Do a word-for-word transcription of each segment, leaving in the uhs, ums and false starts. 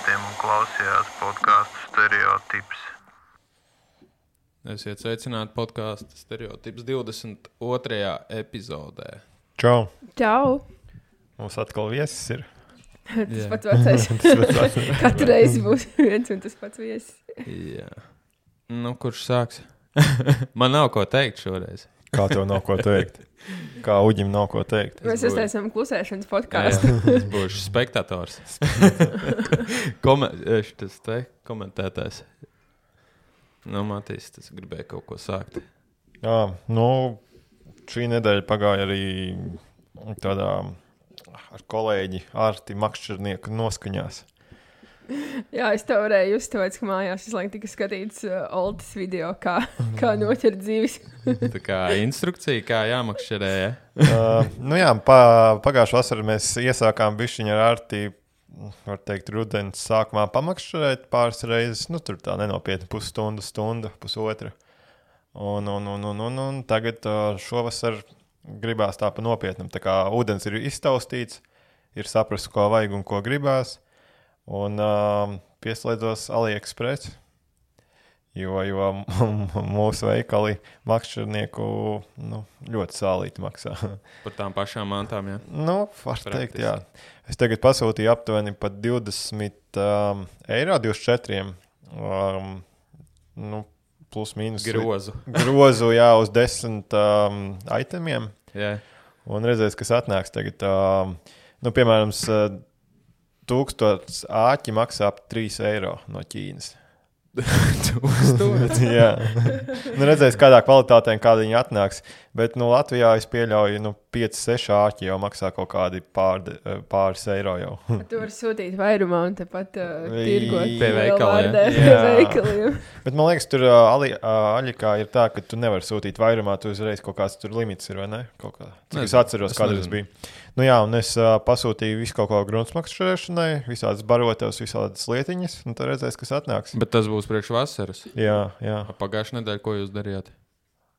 aparātiem un klausījās podcastu Stereotips. Esiet sveicināti podcastu Stereotips divdesmit otrajā epizodē. Čau! Čau! Mums atkal viesis ir. Tas Jā. pats vecais. Tas pats vecais. Katru reizi būs viens un tas pats viesis. Jā. Nu, kurš sāks? Man nav ko teikt šoreiz. Kā tev nav ko teikt? Kā Uģim nav ko teikt? Mēs būšu- uztaisām klusēšanas Jā, podkāstu. es būšu spektators. Komen, tas te komentētājs. Nu, Matīs, tas gribēja kaut ko sākt. Jā, nu, šī nedēļa pagāja arī tādā ar kolēģi Arti Makšķernieku noskaņās. Jā, es to varēju just, tāpēc, ka mājās visu laiku tika skatīts uh, Oltas video, kā, kā noķert dzīves. Tā kā instrukcija, kā jāmakšķerē, ja? uh, nu jā, pa, pagājušā vasarā mēs iesākām bišķiņu ar Arti, var teikt, rudens sākumā pamakšķerēt pāris reizes. Nu, tur tā nenopietni pusstundu, stunda, pusotra. Un, un, un, un, un, un tagad uh, šovasar gribās tā pa nopietnam. Tā kā ūdens ir iztaustīts, ir saprast, ko vajag un ko gribās. Un uh, pieslēdzos AliExpress, jo, jo mūsu veikali makšķernieku nu, ļoti sālīti maksā. Par tām pašām mantām, jā. Nu, var Praktiski. teikt, jā. Es tagad pasūtīju aptuveni pat divdesmit um, eiro, divdesmit četri. Um, nu, plus mīnus. Grozu. Grozu, jā, uz desmit um, itemiem. Jā. Un redzēs, kas atnāks tagad. Um, nu, piemēram, s- tūkstots āķi maksā ap trīs eiro no Ķīnas. Tūkstots. Jā, nu, redzēs, kādā kvalitātē un kāda viņi atnāks. Bet nu, Latvijā es pieļauju, nu, pieci seši āķi jau maksā kaut kādi pār, pāris eiro jau. Tu vari sūtīt vairumā un tepat uh, tirgot Pie veikala, vārdē jā. pie veikaliem. Bet man liekas, tur uh, Ali, uh, Aļikā ir tā, ka tu nevari sūtīt vairumā, tu uzreiz kaut kāds tur limits ir, vai ne? Kaut kā. Cik es Nezinu, atceros, es kāda tas nezinu. bija. Nu jā, un es uh, pasūtīju visu kaut ko gruntsmakšķerēšanai, visādas barotavas, visādas lietiņas, un tad redzēs, kas atnāks. Bet tas būs priekš vasaras. Jā, jā. Pagājušajā nedēļā, ko jūs darījāt?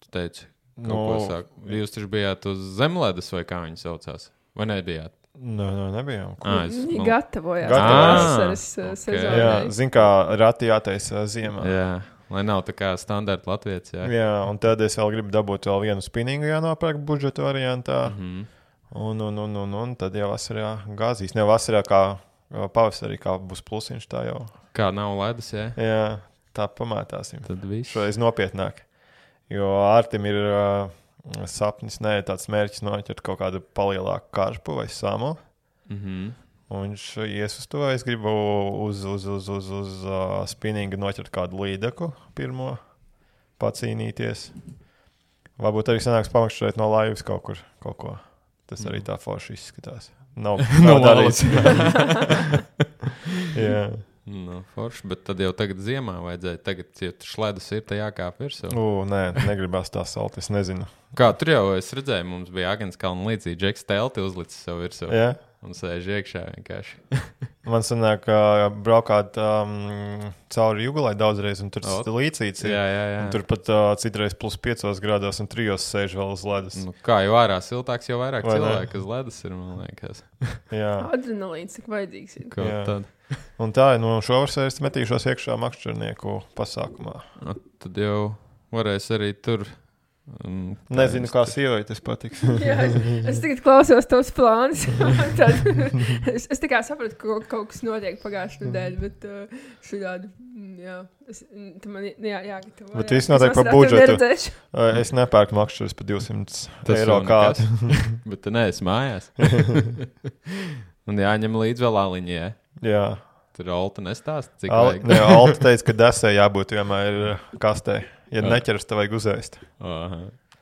Tu teici, kaut Nu, ko sāk. Jūs taču bijāt uz zemledes, vai kā viņi saucās? Vai nebijāt? nu, nu, nebijām. Ā, es, Viņi man- gatavojās Gatavojās. vasaras uh, Ok. sezonai. Jā, zin kā rati jātaisa ziemā. Jā, lai nav tā kā standarta latvietis, jā. Jā, un tad es vēl gribu dabūt vēl vienu spinningu jānopērk budžeta variantā. Mhm. Un, un, un, un, un tad jau vasarā gāzīs. Ne vasarā kā uh, pavasarī, kā būs plusiņš tā jau. Kā nav ledus, jā? Jā, tā pamētāsim. Tad viss. Šoreiz nopietnāk. Jo Artim ir uh, sapnis, ne tāds mērķis noķert kaut kādu palielāku karpu vai samu. Mhm. Un viņš ies uz to. Es gribu uz, uz, uz, uz, uz uh, spinninga noķert kādu līdeku pirmo, pacīnīties. Varbūt arī sanāks pamakšķerēt no laivas kaut kur, kaut ko. Tas arī tā forši izskatās. Nav, No nav darīts. malas. Jā. Nu, forši, bet tad jau tagad ziemā vajadzēja. Tagad, ja tur ledus ir, tad jākāp virsū. U, nē, negribās tā salt, es nezinu. Kā tur jau es redzēju, mums bija Agents Kalna līdzīgi. Džeks Telti uzlicis sev virsū. Jā. Un sēž iekšā vienkārši. Man sanāk, ka braukāt um, cauri Jugulai daudzreiz, un tur O. tas līdzīts ir. Jā, jā, jā. Un tur pat uh, citreiz plus piecos grādos un trijos sēž vēl uz ledus. Nu, kā jau ārā siltāks, jau vairāk Vai ne? cilvēku uz ledus ir, man liekas. Jā. Adrenalīns, cik vajadzīgs ir. Ko Jā. tad? Un tā, nu, šovasar es metīšos iekšā makšķernieku pasākumā. Nu, tad jau varēs arī tur. Um, Nezinu, kā sievai tas patiks. Jā, es, es tagad klausos tos plānus. Tad, es, es tikai sapratu, ka kaut kas notiek pagājušajā nedēļā, bet uh, šādi, jā, es, tu man jā, jāgatavo. Bet jā. viss notiek Es par vasarā tev budžetu. neredzēšu. Uh, es nepērku makšķeres par divsimt Tas eiro jau nekas. kādu. Bet tu neesi mājās. Un jāņem līdz vēl aliņai. Ja? Jā. Tur Olta nestāst, cik Al, vajag. ne, Alta teica, ka desē jābūt vienmēr kastē. Ja Jā. neķeras, tev vajag uzēst. Aha,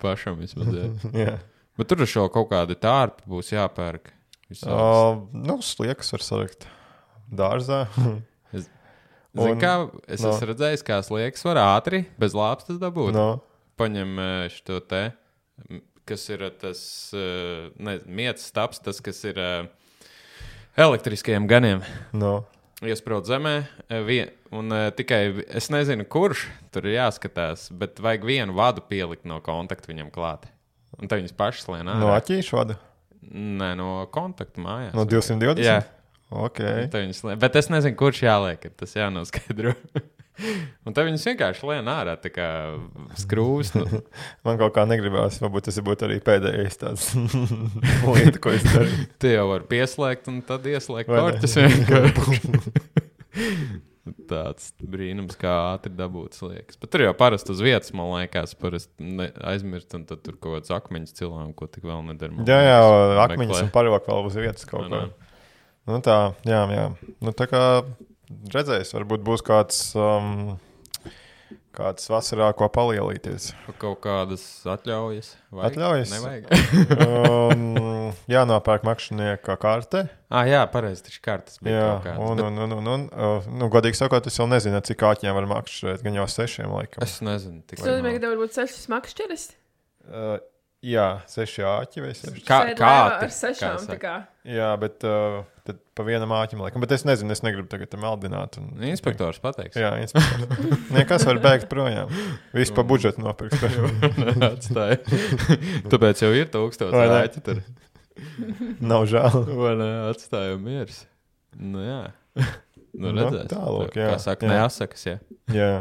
pašam vismaz. Jā. Jā. Bet tur šo kaut kādu tārpu būs jāpērk. Visādas. Uh, nu, sliekas var salikt dārzā. Zini, un- kā es no. esmu redzējis, kā sliekas var ātri, bez lāpstas dabūt. No. Paņem eh, šo te, m, kas ir eh, tas, eh, ne, mietas taps, tas, kas ir eh, elektriskajiem ganiem. No. Iesprūst zemē, eh, vien, un uh, tikai es nezinu, kurš tur ir jāskatās, bet vajag vienu vadu pielikt no kontakta viņam klāt. Un tad viņas pašas lien ārā. No aķīšu vada? Nē, no kontakta mājās. No divsimt divdesmit? Jā. Okay. Lien, bet es nezinu, kurš jāliek, tas jānoskaidro. Un tad viņas vienkārši lien ārā, tā kā skrūvis. Nu. Man kaut kā negribās, varbūt tas būtu arī pēdējais tāds lieta, ko es daru. Tie jau var pieslēgt un tad ieslēgt korķis vienkārši. Tāds brīnums, kā ātri dabūts liekas. Bet tur jau parasti uz vietas, man liekas, parasti aizmirst, un tad tur kaut kāds akmeņas cilām, ko tik vēl nedara. Jā, jā, akmeņas un parok vēl uz vietas kaut ko. Nu tā, jā, jā. Nu tā kā redzēs, varbūt būs kāds, um, kāds vasarā, ko palielīties. Kaut kādas atļaujas? Vajag? Atļaujas? Nevajag. um, jānopērk makšķinieka karte. Ah, jā, pareizi, taču kartes bija jā, kaut kādas. Un, Bet... un, un, un, un uh, nu, godīgi sakot, es vēl nezinu, cik āķiem var makšķerēt, gan jau sešiem laikam. Es nezinu. Tas nozīmē, ka tev varbūt sešas makšķeres? Uh, jā, seši āķi vai seši. Kā, kā ar sešām, tā kā. Jā, bet uh, tad pa vienam āķim laikam. Bet es nezinu, es negribu tagad tam meldināt. Un... Inspektors pateiks. Jā, inspektors. Nekas var bēgt projām. Visu pa budžetu nopirks. Atstāja. Tāpēc jau ir tūkstots āķi tur. Nav žēl. Vai ne, atstāja miers. Nu jā. Nu redzēs. Nu, tālūk, jā. Kā saka, jā. neasakas, jā. Jā.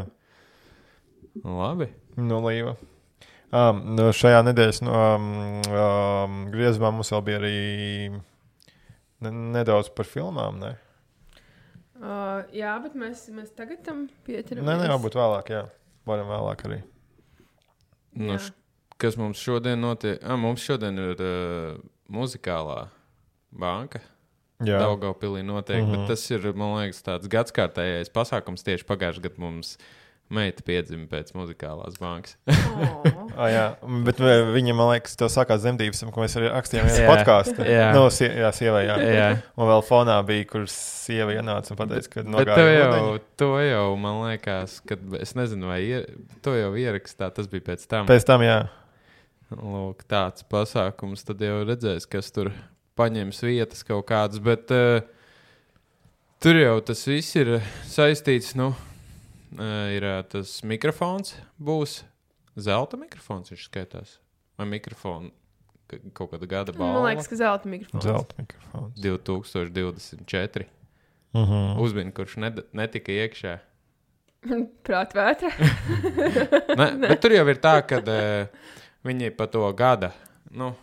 Labi. Nu, līva. Um, nu, šajā nedēļas nu, um, um, griezumā mums vēl bija arī ne, nedaudz par filmām, ne? Uh, jā, bet mēs, mēs tagad tam pieķeramies. Nē, ne, varbūt vēlāk, jā. Varam vēlāk arī. Nu, š, kas mums šodien notiek? Ah, mums šodien ir uh, muzikālā banka. Jā. Daugavpilī notiek, mm-hmm. bet tas ir, man liekas, tāds gadskārtējais pasākums. Tieši pagājušajā gadā mums meita piedzima pēc muzikālās bankas. Oh. ah, jā, bet viņa, man liekas, tev sākās zemdības, ko mēs arī rakstījām vienas podkāstu. Jā, no, sie, jā sievai, jā. jā. Un vēl fonā bija, kur sieva ienāca un pateica, ka nogāja. Bet to jau, to jau, man liekas, kad es nezinu, vai ier, to jau ierakstā, tas bija pēc tam. Pēc tam, jā. Lūk, tāds pasākums, tad jau redzēs, kas tur paņems vietas kaut kādas, bet uh, tur jau tas viss ir saistīts, nu, Uh, ir uh, tas mikrofons, būs zelta mikrofons, viņš skaitās. Vai mikrofonu ka, kaut kāda gada balva? Man liekas, ka zelta mikrofons. Zelta mikrofons. divi tūkstoši divdesmit četri. Uh-huh. Uzbina, kurš ned- netika iekšā. Prātvētra. ne, bet tur jau ir tā, ka uh, viņi pa to gada, nu,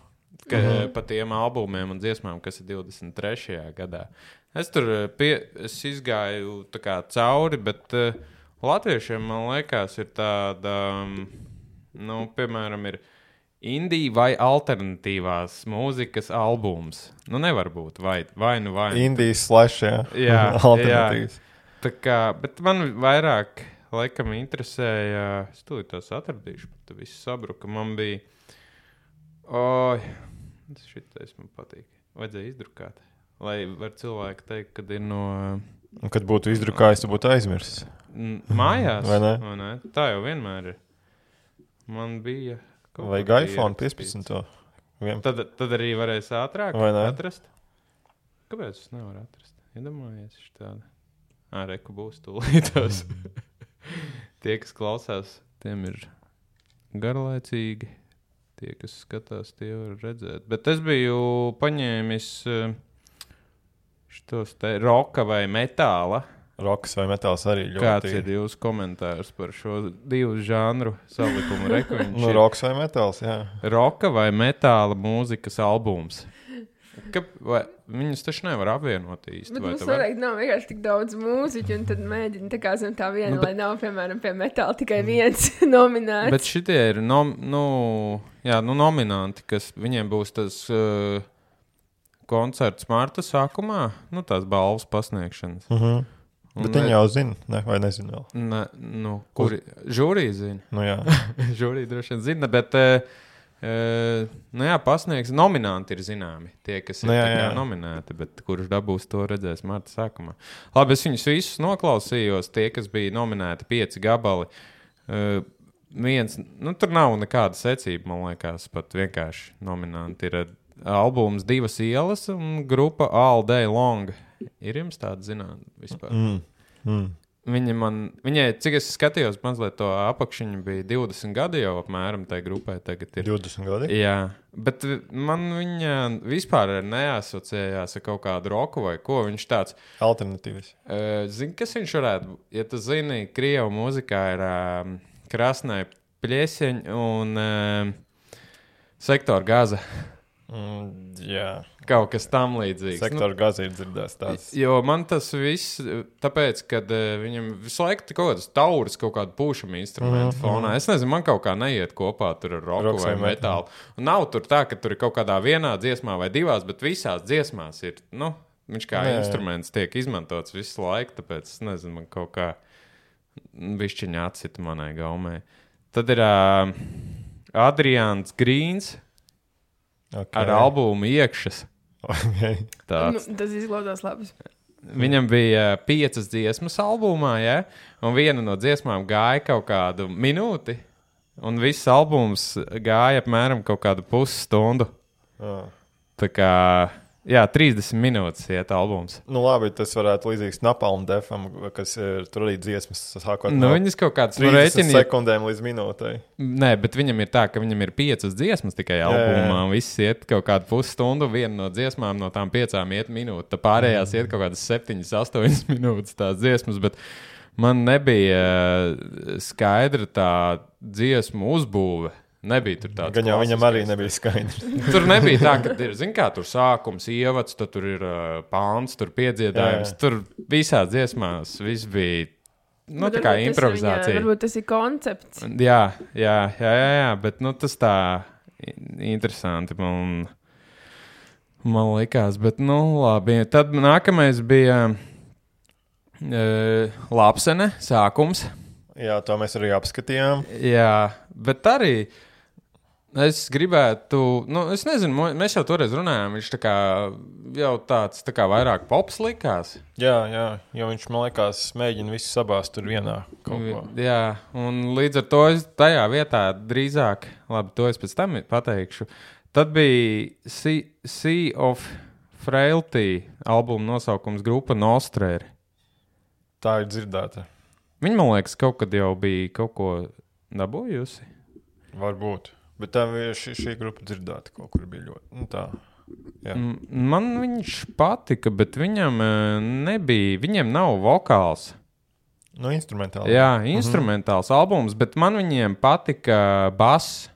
ka, uh-huh. pa tiem albumiem un dziesmām, kas ir divdesmit trešajā gadā. Es tur pie, es izgāju tā kā cauri, bet uh, latviešiem, man liekas, ir tāda, um, nu, piemēram, ir indija vai alternatīvās mūzikas albums. Nu, nevar būt, vai, vai nu vai. Indijas slash, jā. Jā, alternatīvas. Jā. Tā kā, bet man vairāk, laikam, interesēja, es tūlīt tās atradīšu, bet viss sabruka. Man bija, oi, tas šitais man patīk. Vajadzēja izdrukāt, lai var cilvēki teikt, kad ir no... Un, kad būtu izdrukājis, tu būtu aizmirsis. Mājās? Vai ne? Vai ne? Tā jau vienmēr ir. Man bija... Vajag iPhone piecpadsmit. Tad, tad arī varēs ātrāk atrast. Kāpēc es nevaru atrast? Iedomājies štādi. Ā, reku būs tūlītās. Tie, kas klausās, tiem ir garlaicīgi. Tie, kas skatās, tie var redzēt. Bet es biju paņēmis... Šitos te roka vai metāla. Rokas vai metāls arī ļoti. Kāds ir jūsu komentārs par šo divu žanru salikumu? Nu, rokas vai metāls, jā. Roka vai metāla mūzikas albums. Ka, vai, viņus taču nevar apvienot īsti. Bet vai mums noteikti nav vienkārši tik daudz mūziķu, un tad mēģina tā kā zem tā viena, nu, bet, lai nav, piemēram, pie metāla tikai viens nominēts. Bet šitie ir nom, nu, jā, nu, nominanti, kas viņiem būs tas... Uh, koncerts marta sākumā, nu tās balvas pasniegšanas. Uh-huh. Bet viņi jau zina, ne, vai nezina vēl? Ne, nu, kuri, žūrija zina. Nu jā. Žūrija droši vien zina, bet, e, e, nu jā, pasniegs, nominanti ir zināmi, tie, kas ir nu jā, jā. nominēti, bet kurš dabūs to redzēs marta sākumā. Labi, es viņus visus noklausījos, tie, kas bija nominēti pieci gabali. E, viens, nu tur nav nekāda secība, man liekas, pat vienkārši nominanti ir albums Divas ielas un grupa All Day Long. Ir jums tāda zināt vispār? Mm. Mm. viņa man, viņai, cik es skatījos, mazliet to apakšiņu bija divdesmit gadi jau apmēram tai grupai tagad ir. divdesmit gadi? Jā, bet man viņa vispār neasociējās ar kaut kādu roku vai ko. Viņš tāds... Alternatīvas. Uh, zini, kas viņš varētu... Ja tu zini, Krievu mūzikā ir uh, Krasnai Pļieseņ un uh, Sektor Gaza. Mm, jā. Kaut kas tam līdzīgs. Sektora nu, Gaza ir dzirdēts tāds. Jo man tas viss, tāpēc, kad uh, viņam visu laiku kaut kādas tauras, kaut kādu pūšamu instrumentu mm, fonā. Mm. Es nezinu, man kaut kā neiet kopā tur ar roku Roks vai metālu. Un nav tur tā, ka tur ir kaut kādā vienā dziesmā vai divās, bet visās dziesmās ir, nu, viņš kā Nē. instruments tiek izmantots visu laiku, tāpēc, es nezinu, man kaut kā višķiņā atcita manai gaumē. Tad ir uh, Adrians Grīns okay. ar albumu Iekšas. Okay. Nu, tas izklausās labi. Viņam bija uh, piecas dziesmas albumā, ja? Un viena no dziesmām gāja kaut kādu minūti, un viss albums gāja apmēram kaut kādu pusstundu. Oh. Tā kā, jā, trīsdesmit minūtes iet albums. Nu labi, tas varētu līdzīgs Napalm Defam, kas ir tur arī dziesmas sākot nu, no viņas kaut kāds trīsdesmit sekundēm līdz minūtei. Nē, bet viņam ir tā, ka viņam ir piecas dziesmas tikai albumā, jā, jā. Un viss iet kaut kādu pusstundu, viena no dziesmām no tām piecām iet minūte, tā pārējās mm. iet kaut kādas septiņas, astoņas minūtes tās dziesmas, bet man nebija skaidra tā dziesmu uzbūve. Nebija tur tāds. Gan jau viņam arī nebija skaidrs. Tur nebija tā, ka ir, zin kā, tur sākums, ievads, tad tur ir uh, pāns, tur piedziedājums. Jā, jā. Tur visās dziesmās viss bija, nu, bet tā kā improvizācija. Viņa, varbūt tas ir koncepts. Jā, jā, jā, jā, jā, bet, nu, tas tā interesanti man, man likās, bet, nu, labi. Tad nākamais bija uh, Lapsene, sākums. Jā, to mēs arī apskatījām. Jā, bet arī... Es gribētu, nu, es nezinu, mēs jau toreiz runājām, viņš tā kā jau tāds tā kā vairāk pops likās. Jā, jā, jo viņš, man liekas, mēģina visu sabāzt tur vienā kaut ko. Jā, un līdz ar to es tajā vietā drīzāk, labi, to es pēc tam pateikšu, tad bija Sea, sea of Frailty albuma nosaukums grupa Nostrēri. Tā ir dzirdēta. Viņa, man liekas, kaut kad jau bija kaut ko dabūjusi. Varbūt. Bet tā šī, šī grupa dzirdēta kaut kur bija ļoti, nu tā, jā. Man viņš patika, bet viņam nebija, viņiem nav vokāls. Nu, instrumentāls. Jā, instrumentāls mm-hmm. albums, bet man viņiem patika bass.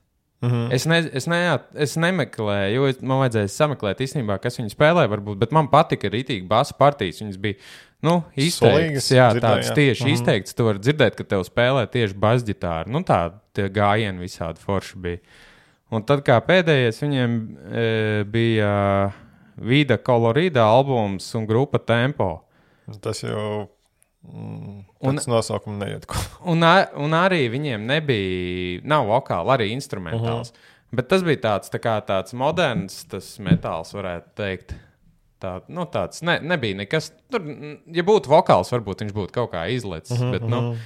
Mm-hmm. Es, ne, es, ne, es nemeklēju, jo es, man vajadzēja sameklēt īstenībā, kas viņi spēlē varbūt, bet man patika rītīgi bass partijas, viņas bija, nu, izteikts, jā, tāds jā. Tieši mm-hmm. izteikts, tu var dzirdēt, ka tev spēlē tieši basģitāri, nu tā, tie gājieni visādi forši bija. Un tad kā pēdējais viņiem e, bija Vida Colorida albums un grupa Tempo. Tas jau, mm, tāds nosaukums neiet. Un, un arī viņiem nebija, nav vokāli, arī instrumentāls. Uh-huh. Bet tas bija tāds, tā kā tāds moderns, tas metāls varētu teikt. Tā, nu tāds, ne, nebija nekas, tur, ja būtu vokāls, varbūt viņš būtu kaut kā izlecis, uh-huh, bet, nu,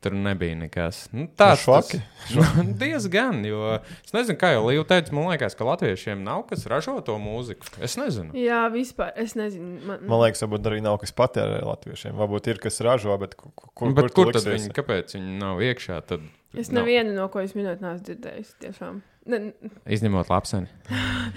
tur nebija nekas. Nu, tāds, švaki? Tas, nu, diezgan, jo es nezinu, kā jau Līva teica, man liekas, ka latviešiem nav kas ražo to mūziku. Es nezinu. Jā, vispār, es nezinu. Man, man liekas, varbūt arī nav kas patērē latviešiem. Varbūt ir kas ražo, bet kur, kur, bet kur, kur tad viņi, kāpēc viņi nav iekšā? Tad es nevienu no ko es minēt neesmu dzirdējis, tiešām. Ne... Izņemot Lapseni.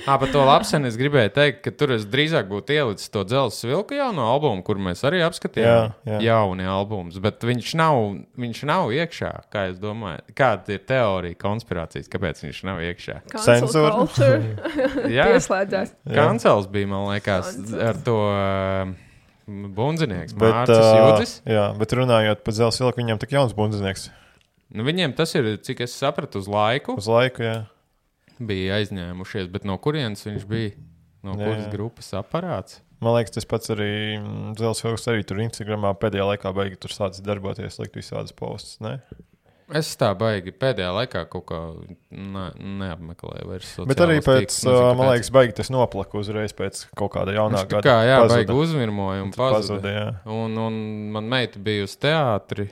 Ā, par to Lapseni es gribēju teikt, ka tur es drīzāk būtu ielicis to Dzelzs vilka jauno albumu, kur mēs arī apskatījām. Jā, jā. Jauni albums, bet viņš nav, viņš nav iekšā, kā es domāju. Kāda ir teorija, konspirācijas, kāpēc viņš nav iekšā? Cenzūra. Pieslēdzās. Kancels bija, man liekas, Kancels. Ar to uh, bundzinieks, Mārcis uh, Jūdzis. Jā, bet runājot par Dzelzs vilku, viņam tik jauns bundzinieks. Nu, viņiem tas ir, cik es sapratu, uz laiku. Uz laiku, jā. Bija aizņēmušies, bet no kurienes viņš bija? No jā, kuras jā. Grupas aparāts? Man liekas, tas pats arī Dzelzs vilks arī tur Instagramā pēdējā laikā baigi tur sācis darboties, likt visādas postus, ne? Es tā baigi pēdējā laikā kaut kā ne, neapmeklēju vairs sociālos bet arī pēc, tīklus, man liekas, baigi tas noplaka uzreiz pēc kaut kāda jaunā gada. Kā, jā, pazuda. Baigi uzvirmoja un pazuda. pazuda jā. Un, un man meita bija uz teātri.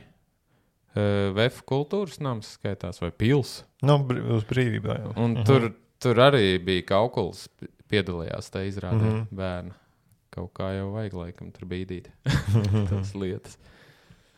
Uh, V F kultūras nams skaitās, vai pils. Nu, br- uz brīvībā jau. Un uh-huh. tur, tur arī bija Kaukuls piedalījās tā izrādē uh-huh. bērna. Kaut kā jau vajag laikam tur bīdīt tās lietas.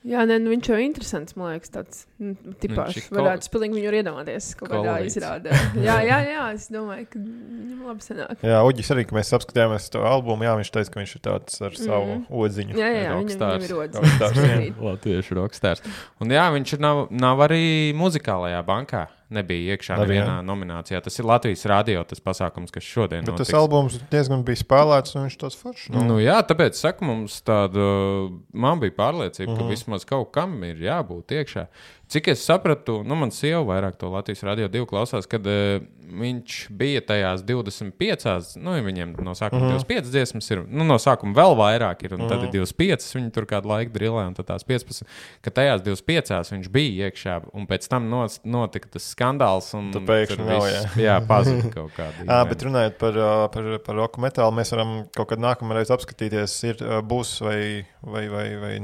Jā, ne, nu, viņš jau ir interesants, man liekas, tāds nu, tipāšs. Varētu spilīgi viņu iedomāties kaut kādā izrādē. Jā, jā, jā, es domāju, ka viņam labi sanāk. Jā, Uģis arī, ka mēs apskatījāmies to albumu, jā, viņš teica, ka viņš ir tāds ar savu mm. odziņu. Jā, jā, rockstars. Viņam ir odziņu. Latviešu rockstars. Un jā, viņš nav, nav arī muzikālajā bankā. Nebija iekšā Arī, nevienā jā. nominācijā. Tas ir Latvijas radio, tas pasākums, kas šodien Bet notiks. tas albums diezgan bija spēlēts, un viņš tāds foršs. Nu, nu jā, tāpēc, saku, mums tāda, man bija pārliecība, Mhm. ka vismaz kaut kam ir jābūt iekšā. Cik es sapratu, nu, man sieva vairāk to Latvijas radio divu klausās, kad uh, viņš bija tajās divdesmit piecās, nu, viņiem no sākuma Mhm. divdesmit piecas dziesmas ir, nu, no sākuma vēl vairāk ir, un tad Mhm. ir divdesmit piecas, viņi tur kādu laiku drillē, un tad tās piecpadsmit, ka tajās divdesmit piecās viņš bija iekšā, un pēc tam nos, notika tas skandāls, un Tu pēkšņi tur nav, viss, jā, pazuda kaut kādi. Jā, bet runājot par, ā, par, par roku metālu, mēs varam kaut kad nākamreiz apskatīties, ir, ā, būs vai, vai, vai, vai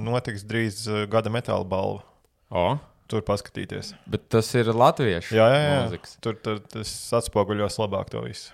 notiks drīz ā, gada metāla balva. O, Tur paskatīties. bet tas ir latviešu Jā, jā, jā. mūzikas. Tur, tur tas atspoguļos labāk to visu.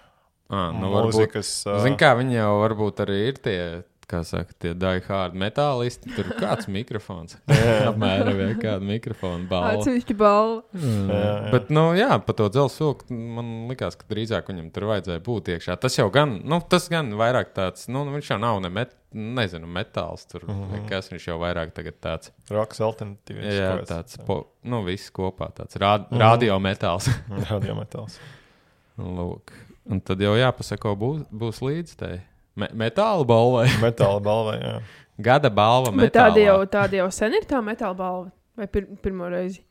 À, nu, varbūt, Mūzikas. Zini, kā viņi jau varbūt arī ir tie, kā saka, tie die hard metālisti. Tur ir kāds mikrofons. Apmēram vai kāda mikrofona balva. Atsevišķi balva. Mm. Jā, jā. Bet, nu, jā, pa to dzelzceļu man likās, ka drīzāk viņam tur vajadzēja būt iekšā. Tas jau gan, nu, tas gan vairāk tāds, nu, viņš jau nav ne met, nezinu, metāls tur. Mhm. Kas viņš jau vairāk tagad tāds. Roks alternatīvs. Jā, tāds, po, nu, viss kopā tāds rād, Mhm. radio metāls. Radiometāls. Lūk. Un tad jau jāpasako, būs, būs līdz tai me metāla balvai. Metāla balvai, jā. Gada balva Bet metālā. tāda jau, tāda jau sen ir tā metāla balva? Vai pir pirmo reizi?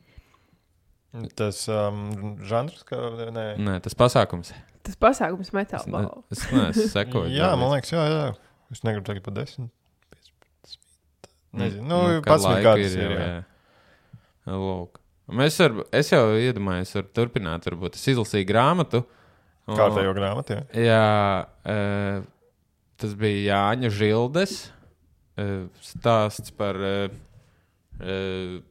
Tas um, žanrs, kā, nē. Nē, tas pasākums. Tas pasākums metāla Es, ne, balva. es neesmu sekoju. Jā, man liekas, jā, jā. Es negribu tagad pa desmit. piecpadsmit. Nezinu, nu, kad pats laika gadus ir, ir, jau, jā. jā. Lūk. Mēs var, es jau iedomājos, varu turpināt, varbūt es izlasīju grāmatu. un- Kārtējo grāmatu, jā. Jā, e, tas bija Jāņa Žildes e, stāsts par e, e,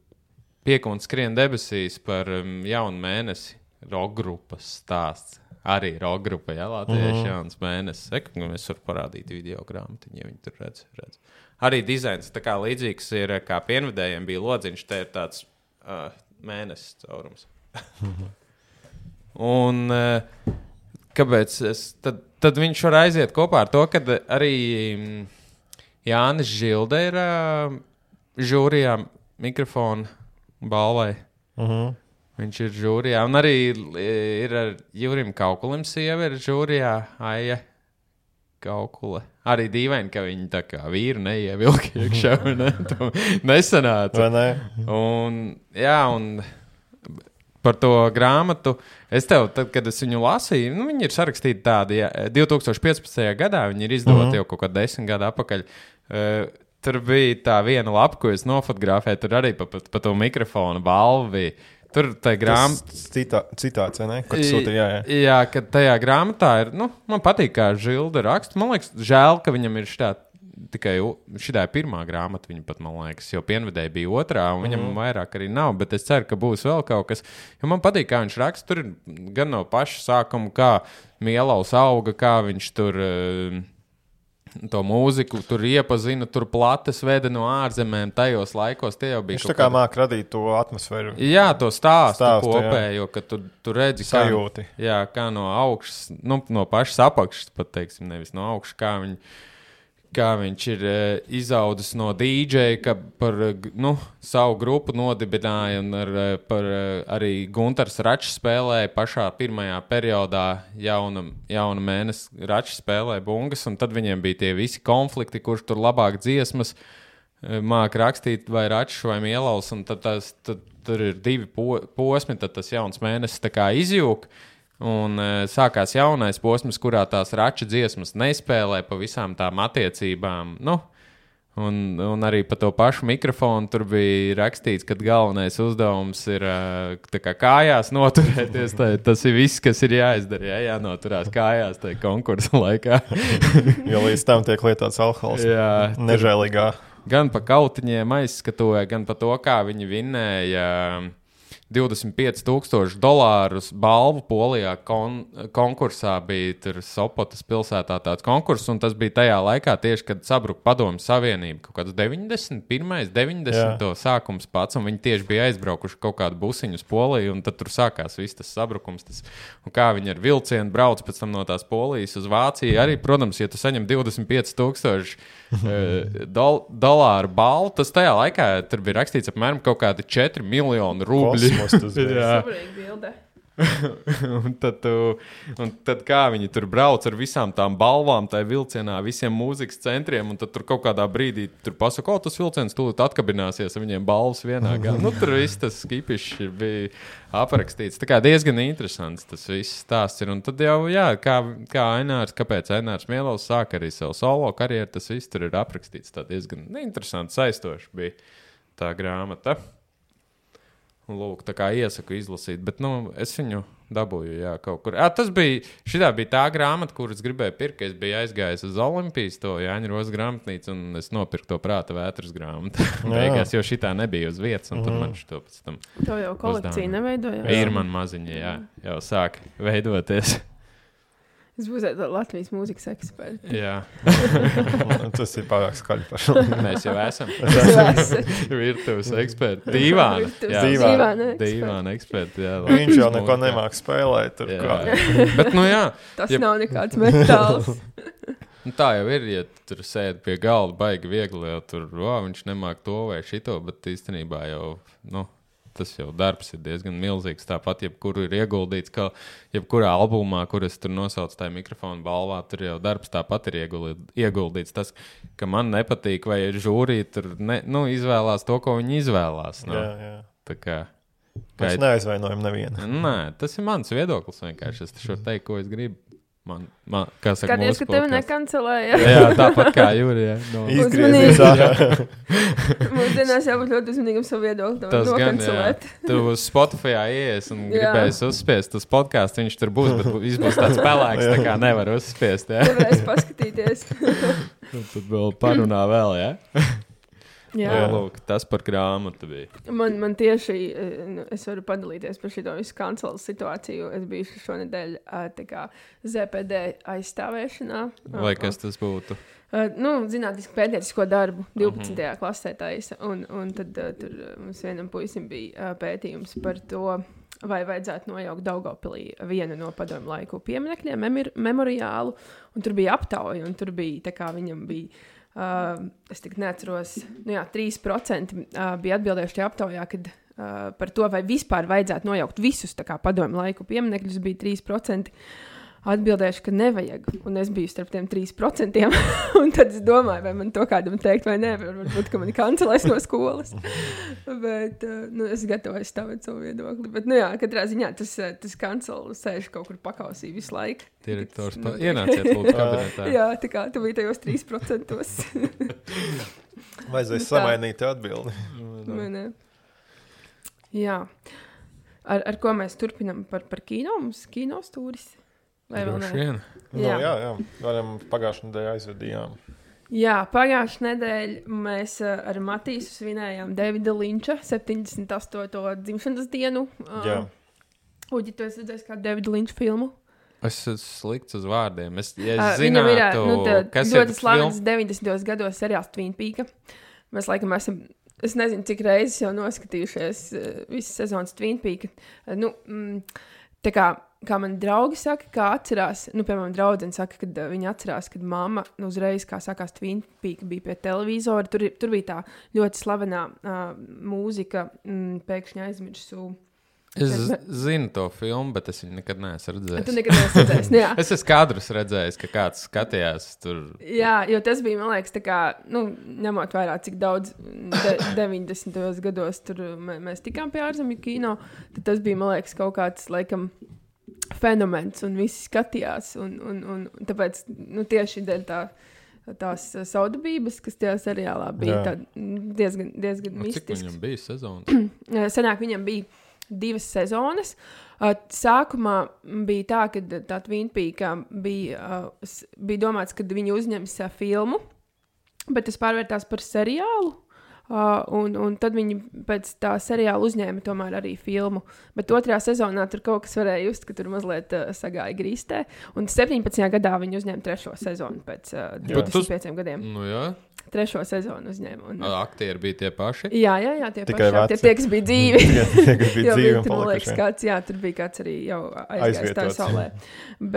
Pieku un skrien debesīs par um, jaunu mēnesi. Rockgrupas stāsts. Arī rockgrupa, jā, Latviešu Mhm. jauns mēnesis. Eku, mēs varam parādīt video grāmatiņu, ja viņi tur redz. redz. Arī dizains tā kā līdzīgs ir, kā pienvedējiem bija lodziņš, te ir tāds uh, mēnesis caurums. Un uh, kāpēc es, tad, tad viņš var aiziet kopā ar to, ka arī mm, Jānis Žilde ir uh, žūrijā mikrofona balvai. Mhm. Viņš ir žūrijā. Un arī ir ar Jurim Kaukulim sieva ir žūrijā. Aija Kaukule. Arī dīvaini, ka viņi tā kā vīru neievilka iekšā. Ne? To nesanāca. Vai ne? Un, jā, un par to grāmatu. Es tev, tad, kad es viņu lasīju, nu, viņi ir sarakstīti tādi, jā, divtūkstoš piecpadsmitajā gadā, viņi ir izdoti Mhm. jau kaut kā desmit gadu atpakaļ. Uh, tur bija tā viena lapa, ko es nofotografēju, tur arī pa, pa, pa to mikrofonu balvu bija. Tur tā grāmata. Tas citā, citāts, vai ne? Ko tu sūti, jā, jā. Jā, ka tajā grāmatā ir, nu, man patīk, kā Žilda raksta. Man liekas, žēl, ka viņam ir šitā tikai šitā ir pirmā grāmata, viņa pat, man liekas, jo pienvedēji bija otrā, un viņam mm. vairāk arī nav, bet es ceru, ka būs vēl kaut kas. Jo man patīk, kā viņš raksta, tur ir gan no paša sākuma, kā Mielaus auga, kā viņš tur uh, to mūziku tur iepazina, tur plates veda no ārzemēm, tajos laikos tie jau bija. Viņš tā kā māk radīt to atmosfēru. Jā, to stāstu, Stāstu, kopējo, ka tu, tu redzi, kā, Sajūti. jā, kā no augšas, nu, no pašas apakšas, pat teiksim, nevis no augšas, kā, viņ, kā viņš ir e, izaudzis no dīdžeja, ka par nu, savu grupu nodibināja un ar, par, arī Guntars Račs spēlēja pašā pirmajā periodā jauna, jauna mēnesi Račs spēlēja bungas, un tad viņiem bija tie visi konflikti, kurš tur labāk dziesmas māk rakstīt vai Račs vai Mielaus, un tad, tas, tad tur ir divi po, posmi, tad tas jauns mēnesis tā kā izjūk, un uh, sākās jaunais posms, kurā tās Rača dziesmas nespēlē pa visām tām attiecībām, nu, un, un arī pa to pašu mikrofonu tur bija rakstīts, ka galvenais uzdevums ir uh, tā kā kājās noturēties, tā, tas ir viss, kas ir jāizdara, jā, jānoturās kājās tajā konkursa laikā. Jo līdz tam tiek lietots alkohols. Jā, Nežēlīgā. gan pa kautiņiem aizskatoja, gan pa to, kā viņi vinnēja divdesmit pieci tūkstoši dolārus balvu Polijā kon, konkursā bija tur Sopotas pilsētā tāds konkurss, un tas bija tajā laikā tieši, kad sabruka Padomju Savienība, kaut kāds deviņdesmit pirmais, deviņdesmito sākums pats, un viņi tieši bija aizbraukuši kaut kādu busiņu uz Poliju, un tad tur sākās viss tas sabrukums, tas, un kā viņi ar vilcienu brauc pēc tam no tās Polijas uz Vāciju, arī, protams, ja tu saņem divdesmit pieci tūkstoši dol, dolāru balvu, tas tajā laikā tur bija rakstīts apmēram kaut kādi četri miljoni rubļi. Saprīgi bilde. un, tad, tu, un tad kā viņi tur brauc ar visām tām balvām, tai vilcienā, visiem mūzikas centriem, un tad tur kaut kādā brīdī tur pasaka, o, tas vilciens tūlīt atkabināsies ar viņiem balvas vienā gā. Nu, tur viss tas skipišs bija aprakstīts. Tā kā diezgan interesants tas viss stāsts ir. Un tad jau, jā, kā, kā Ainārs, kāpēc Ainārs Mielovs sāk arī savu solo karjeru, tas viss tur ir aprakstīts. Tā diezgan interesants, saistoši bija tā grāmata. Lūk, tā kā iesaku izlasīt, bet, nu, es viņu dabūju, jā, kaut kur. À, tas bija, šitā bija tā grāmata, kuras gribēju pirkt, ka es biju aizgājis uz Olimpijas, to Jāņa Rozes grāmatnīcu, un es nopirku to Prāta vētras grāmatu. Beigās, jo šitā nebija uz vietas, un tad man šito pēc tam To jau kolekcija neveidoja. Ir man maziņa, jā, jau sāk veidoties. Es būšu Latvijas mūzikas eksperts. Jā. Tas ir pārāk skaļi par šo. Mēs jau esam. Virtuves eksperti. Dīvāna. Dīvāna. Dīvāna eksperti, jā. Viņš jau neko nemāk spēlēt. Tur kā. Bet, nu jā. Tas ja... nav nekāds metāls. Nu, tā jau ir, ja tur sēd pie galda baigi viegli, jau tur, wow, viņš nemāk to vai šito, bet īstenībā jau, nu, tas jau darbs ir diezgan milzīgs. Tāpat, jebkuru ir ieguldīts, ka jebkurā albumā, kur es tur nosaucu tā mikrofonu balvā, tur jau darbs tāpat ir ieguldīts. Tas, ka man nepatīk, vai žūrī tur ne, nu, izvēlās to, ko viņi izvēlās. No? Jā, jā. Tā kā... Mēs neaizvainojam nevienu. Nē, tas ir mans viedoklis vienkārši. Es šo teikt, ko es gribu. Man, man, kā saka, skaties, ka tevi nekancelēja. Jā, tāpat kā Jūrija. No. Izgriezies ārā. Mūsdienās jābūt ļoti uzmanīgam savu viedokli. Tas gan, jā. Tu uz Spotifyā ies un gribēs uzspiest uz podcastu, viņš tur būs, bet viņš būs tāds pelēks, tā kā nevar uzspiest, jā. Nevarēs paskatīties. Tad vēl parunā vēl, jā? Jā, jā, lūk, tas par grāmatu bija. Man, man tieši, es varu padalīties par šito visu kancelas situāciju. Es biju šonedēļ tā kā Z P D aizstāvēšanā. Vai kas tas būtu? Uh, nu, zinātniski pētniecisko darbu divpadsmitajā Uh-huh. klasē taisa. Un, un tad uh, tur mums vienam puisim bija uh, pētījums par to, vai vajadzētu nojaukt Daugavpilī vienu no padomju laiku pieminekļiem, memir, memoriālu. Un tur bija aptauja, un tur bija, tā kā viņam bija... Uh, es tik neatceros, nu jā, trīs procenti uh, bija atbildējuši tajā aptaujā, kad uh, par to, vai vispār vajadzētu nojaukt visus tā kā padomju laiku pieminekļus, bija trīs procenti atbildējuši, ka nevajag. Un es biju starp tiem trīs procentiem. Un tad es domāju, vai man to kādam teikt vai nē, varbūt, ka mani kancelēs no skolas. Bet uh, nu, es gatavoju stāvēt savu viedokli. Bet, nu jā, katrā ziņā tas, tas kancelu sēž kaut kur pakausī visu laiku. Direktors, nu, ienāciet lūdzu kabinetā. Jā, tā kā tu biji tajos trīs procentos. Vajadzēs samainīt atbildi. Vai ne? Jā. Ar, ar ko mēs turpinam par, par kino? Mums kino stūris? Vai vēl ne? Jā. Nu, jā, jā. Varam pagājušajā nedēļā aizvedījām. Jā, pagājušajā nedēļā mēs ar Matīsu svinējām Davida Linča septiņdesmit astoto dzimšanas dienu. Jā. Uģi, tu esi redzējis kādu Davida Linča filmu? Es esmu slikts uz vārdiem. Es, ja uh, es zinātu, ir, nu, tā, kas ir ļoti slavens film... deviņdesmitajos gados seriāls Twin Peaks. Mēs laikam esam, es nezinu, cik reizes jau noskatījušies uh, visas sezonas Twin Peaks. Uh, nu, mm, tā kā, kā man draugi saka, kā atcerās, nu, piemēram, draudzene saka, kad uh, viņi atcerās, kad mamma nu, uzreiz, kā sākās Twin Peaks, bija pie televizora. Tur, tur bija tā ļoti slavenā uh, mūzika, mm, pēkšņi aizmirsu. Es zinu to filmu, bet es viņu nekad neesmu redzējis. Tu nekad neesi redzējis, nu jā. Es esmu kadrus redzējis, ka kāds skatījās tur. Jā, jo tas bija, man liekas, tā kā, nu, ņemot vairāk, cik daudz de, deviņdesmitajos gados tur mē, mēs tikām pie ārzemju kino, tad tas bija, man liekas, kaut kāds, laikam, fenomens, un visi skatījās, un, un, un, un tāpēc, nu, tieši dēļ tā, tās saudabības, kas tajā seriālā bija tā, diezgan, diezgan mistisks. Cik viņam bija sezonas? Senāk viņam bija divas sezonas. Uh, sākumā bija tā, ka tā Twin Peaks bija, uh, bija domāts, ka viņi uzņems uh, filmu, bet tas pārvērtās par seriālu. Uh, un, un tad viņi pēc tā seriāla uzņēma tomēr arī filmu. Bet otrajā sezonā tur kaut kas varēja just, ka tur mazliet uh, sagāja grīstē. Un septiņpadsmitajā gadā viņi uzņēma trešo sezonu pēc uh, divdesmit pieciem gadiem. Nu jā. Trešo sezonu uzņēma. Un... Aktieri bija tie paši? Jā, jā, jā, tie Tikai paši. Tie, tie, kas bija dzīvi. Tie, kas bija dzīvi un tur, man liekas, palikuši. kāds, jā, tur bija kāds arī jau aizgājis tā saulē.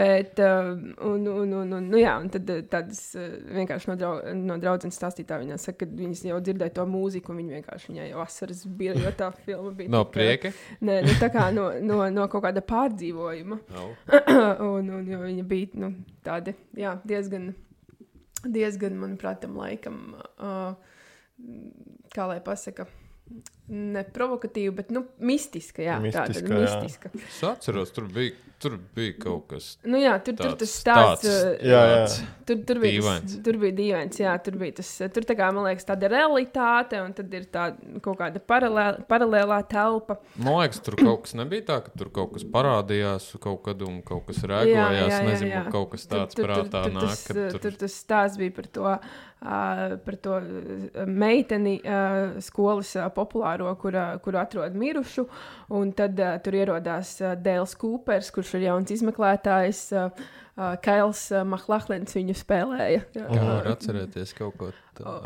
Bet, uh, un, un, un, un, nu jā, un tad tādas uh, vienkārši no, drau, no draudzenes stāstītā viņā saka, ka viņas jau dzirdēja to mūziku, un viņi vienkārši viņai jau asaras bija, jo tā filma bija. No tā, prieka? Nē, nu tā kā no, no, no kaut kāda pārdzīvojuma. No. un, un jo viņa bija, nu, tādi, jā, diezgan... diezgan, manuprāt, tam laikam, uh, kā lai pasaka, ne provokatīva, bet, nu, mistiska, jā, Mistiska, tāda jā. mistiska. Es atceros, tur bija, tur bija kaut kas Nu jā, tur, tur tāds. tas stāsts, tāds, uh, Jā, jā. tur, tur, bija tas, Dīvains. tur bija dīvains, jā, tur bija tas, tur tā kā, man liekas, tāda realitāte, un tad ir tā kaut kāda paralēlā, paralēlā telpa. Man liekas, tur kaut kas nebija tā, ka tur kaut kas parādījās kaut kad un kaut kas rēgojās. Nezinu, jā. kaut kas tāds tur, tur, prātā tur, nāk. tas, Kad tur... tur... tur tas stāsts bija par to, uh, par to uh, meiteni uh, skolas uh, populāro, kura, kuru atrod mirušu, un tad uh, tur ierodās uh, Dēls Kūpers, kurš ir jauns izmeklētājs, uh, uh, Kails uh, Mahlahlens viņu spēlēja. Kā var atcerēties kaut ko tādu? Oh.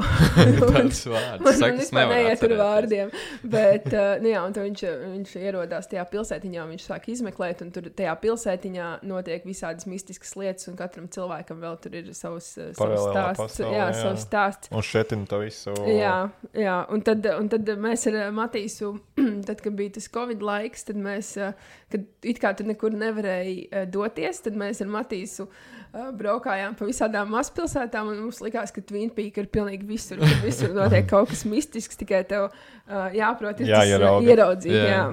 Tāds vārds. Man Saka, es vispār nevaru neiet ar atcerēties. vārdiem, bet, uh, nu jā, un tad viņš, viņš ierodās tajā pilsētiņā, un viņš sāk izmeklēt, un tur tajā pilsētiņā notiek visādas mistiskas lietas, un katram cilvēkam vēl tur ir savs, uh, savs Paralēlā stāsts. pasaule, Jā, jā. savs stāsts. Un šetina to visu. Jā, jā. Un, tad, un tad mēs ar Matīsu, tad, kad bija tas Covid laiks, tad mēs, uh, kad it kā tur nekur nevarēja uh, doties, tad mēs ar Matīsu uh, braukājām pa visādām mazpilsētām, un mums likās, ka Twin Peak ir pilnīgi visur, kad visur notiek kaut kas mistisks, tikai tev uh, jāprot ir tas uh, ieraudzīt. Jā. Jā.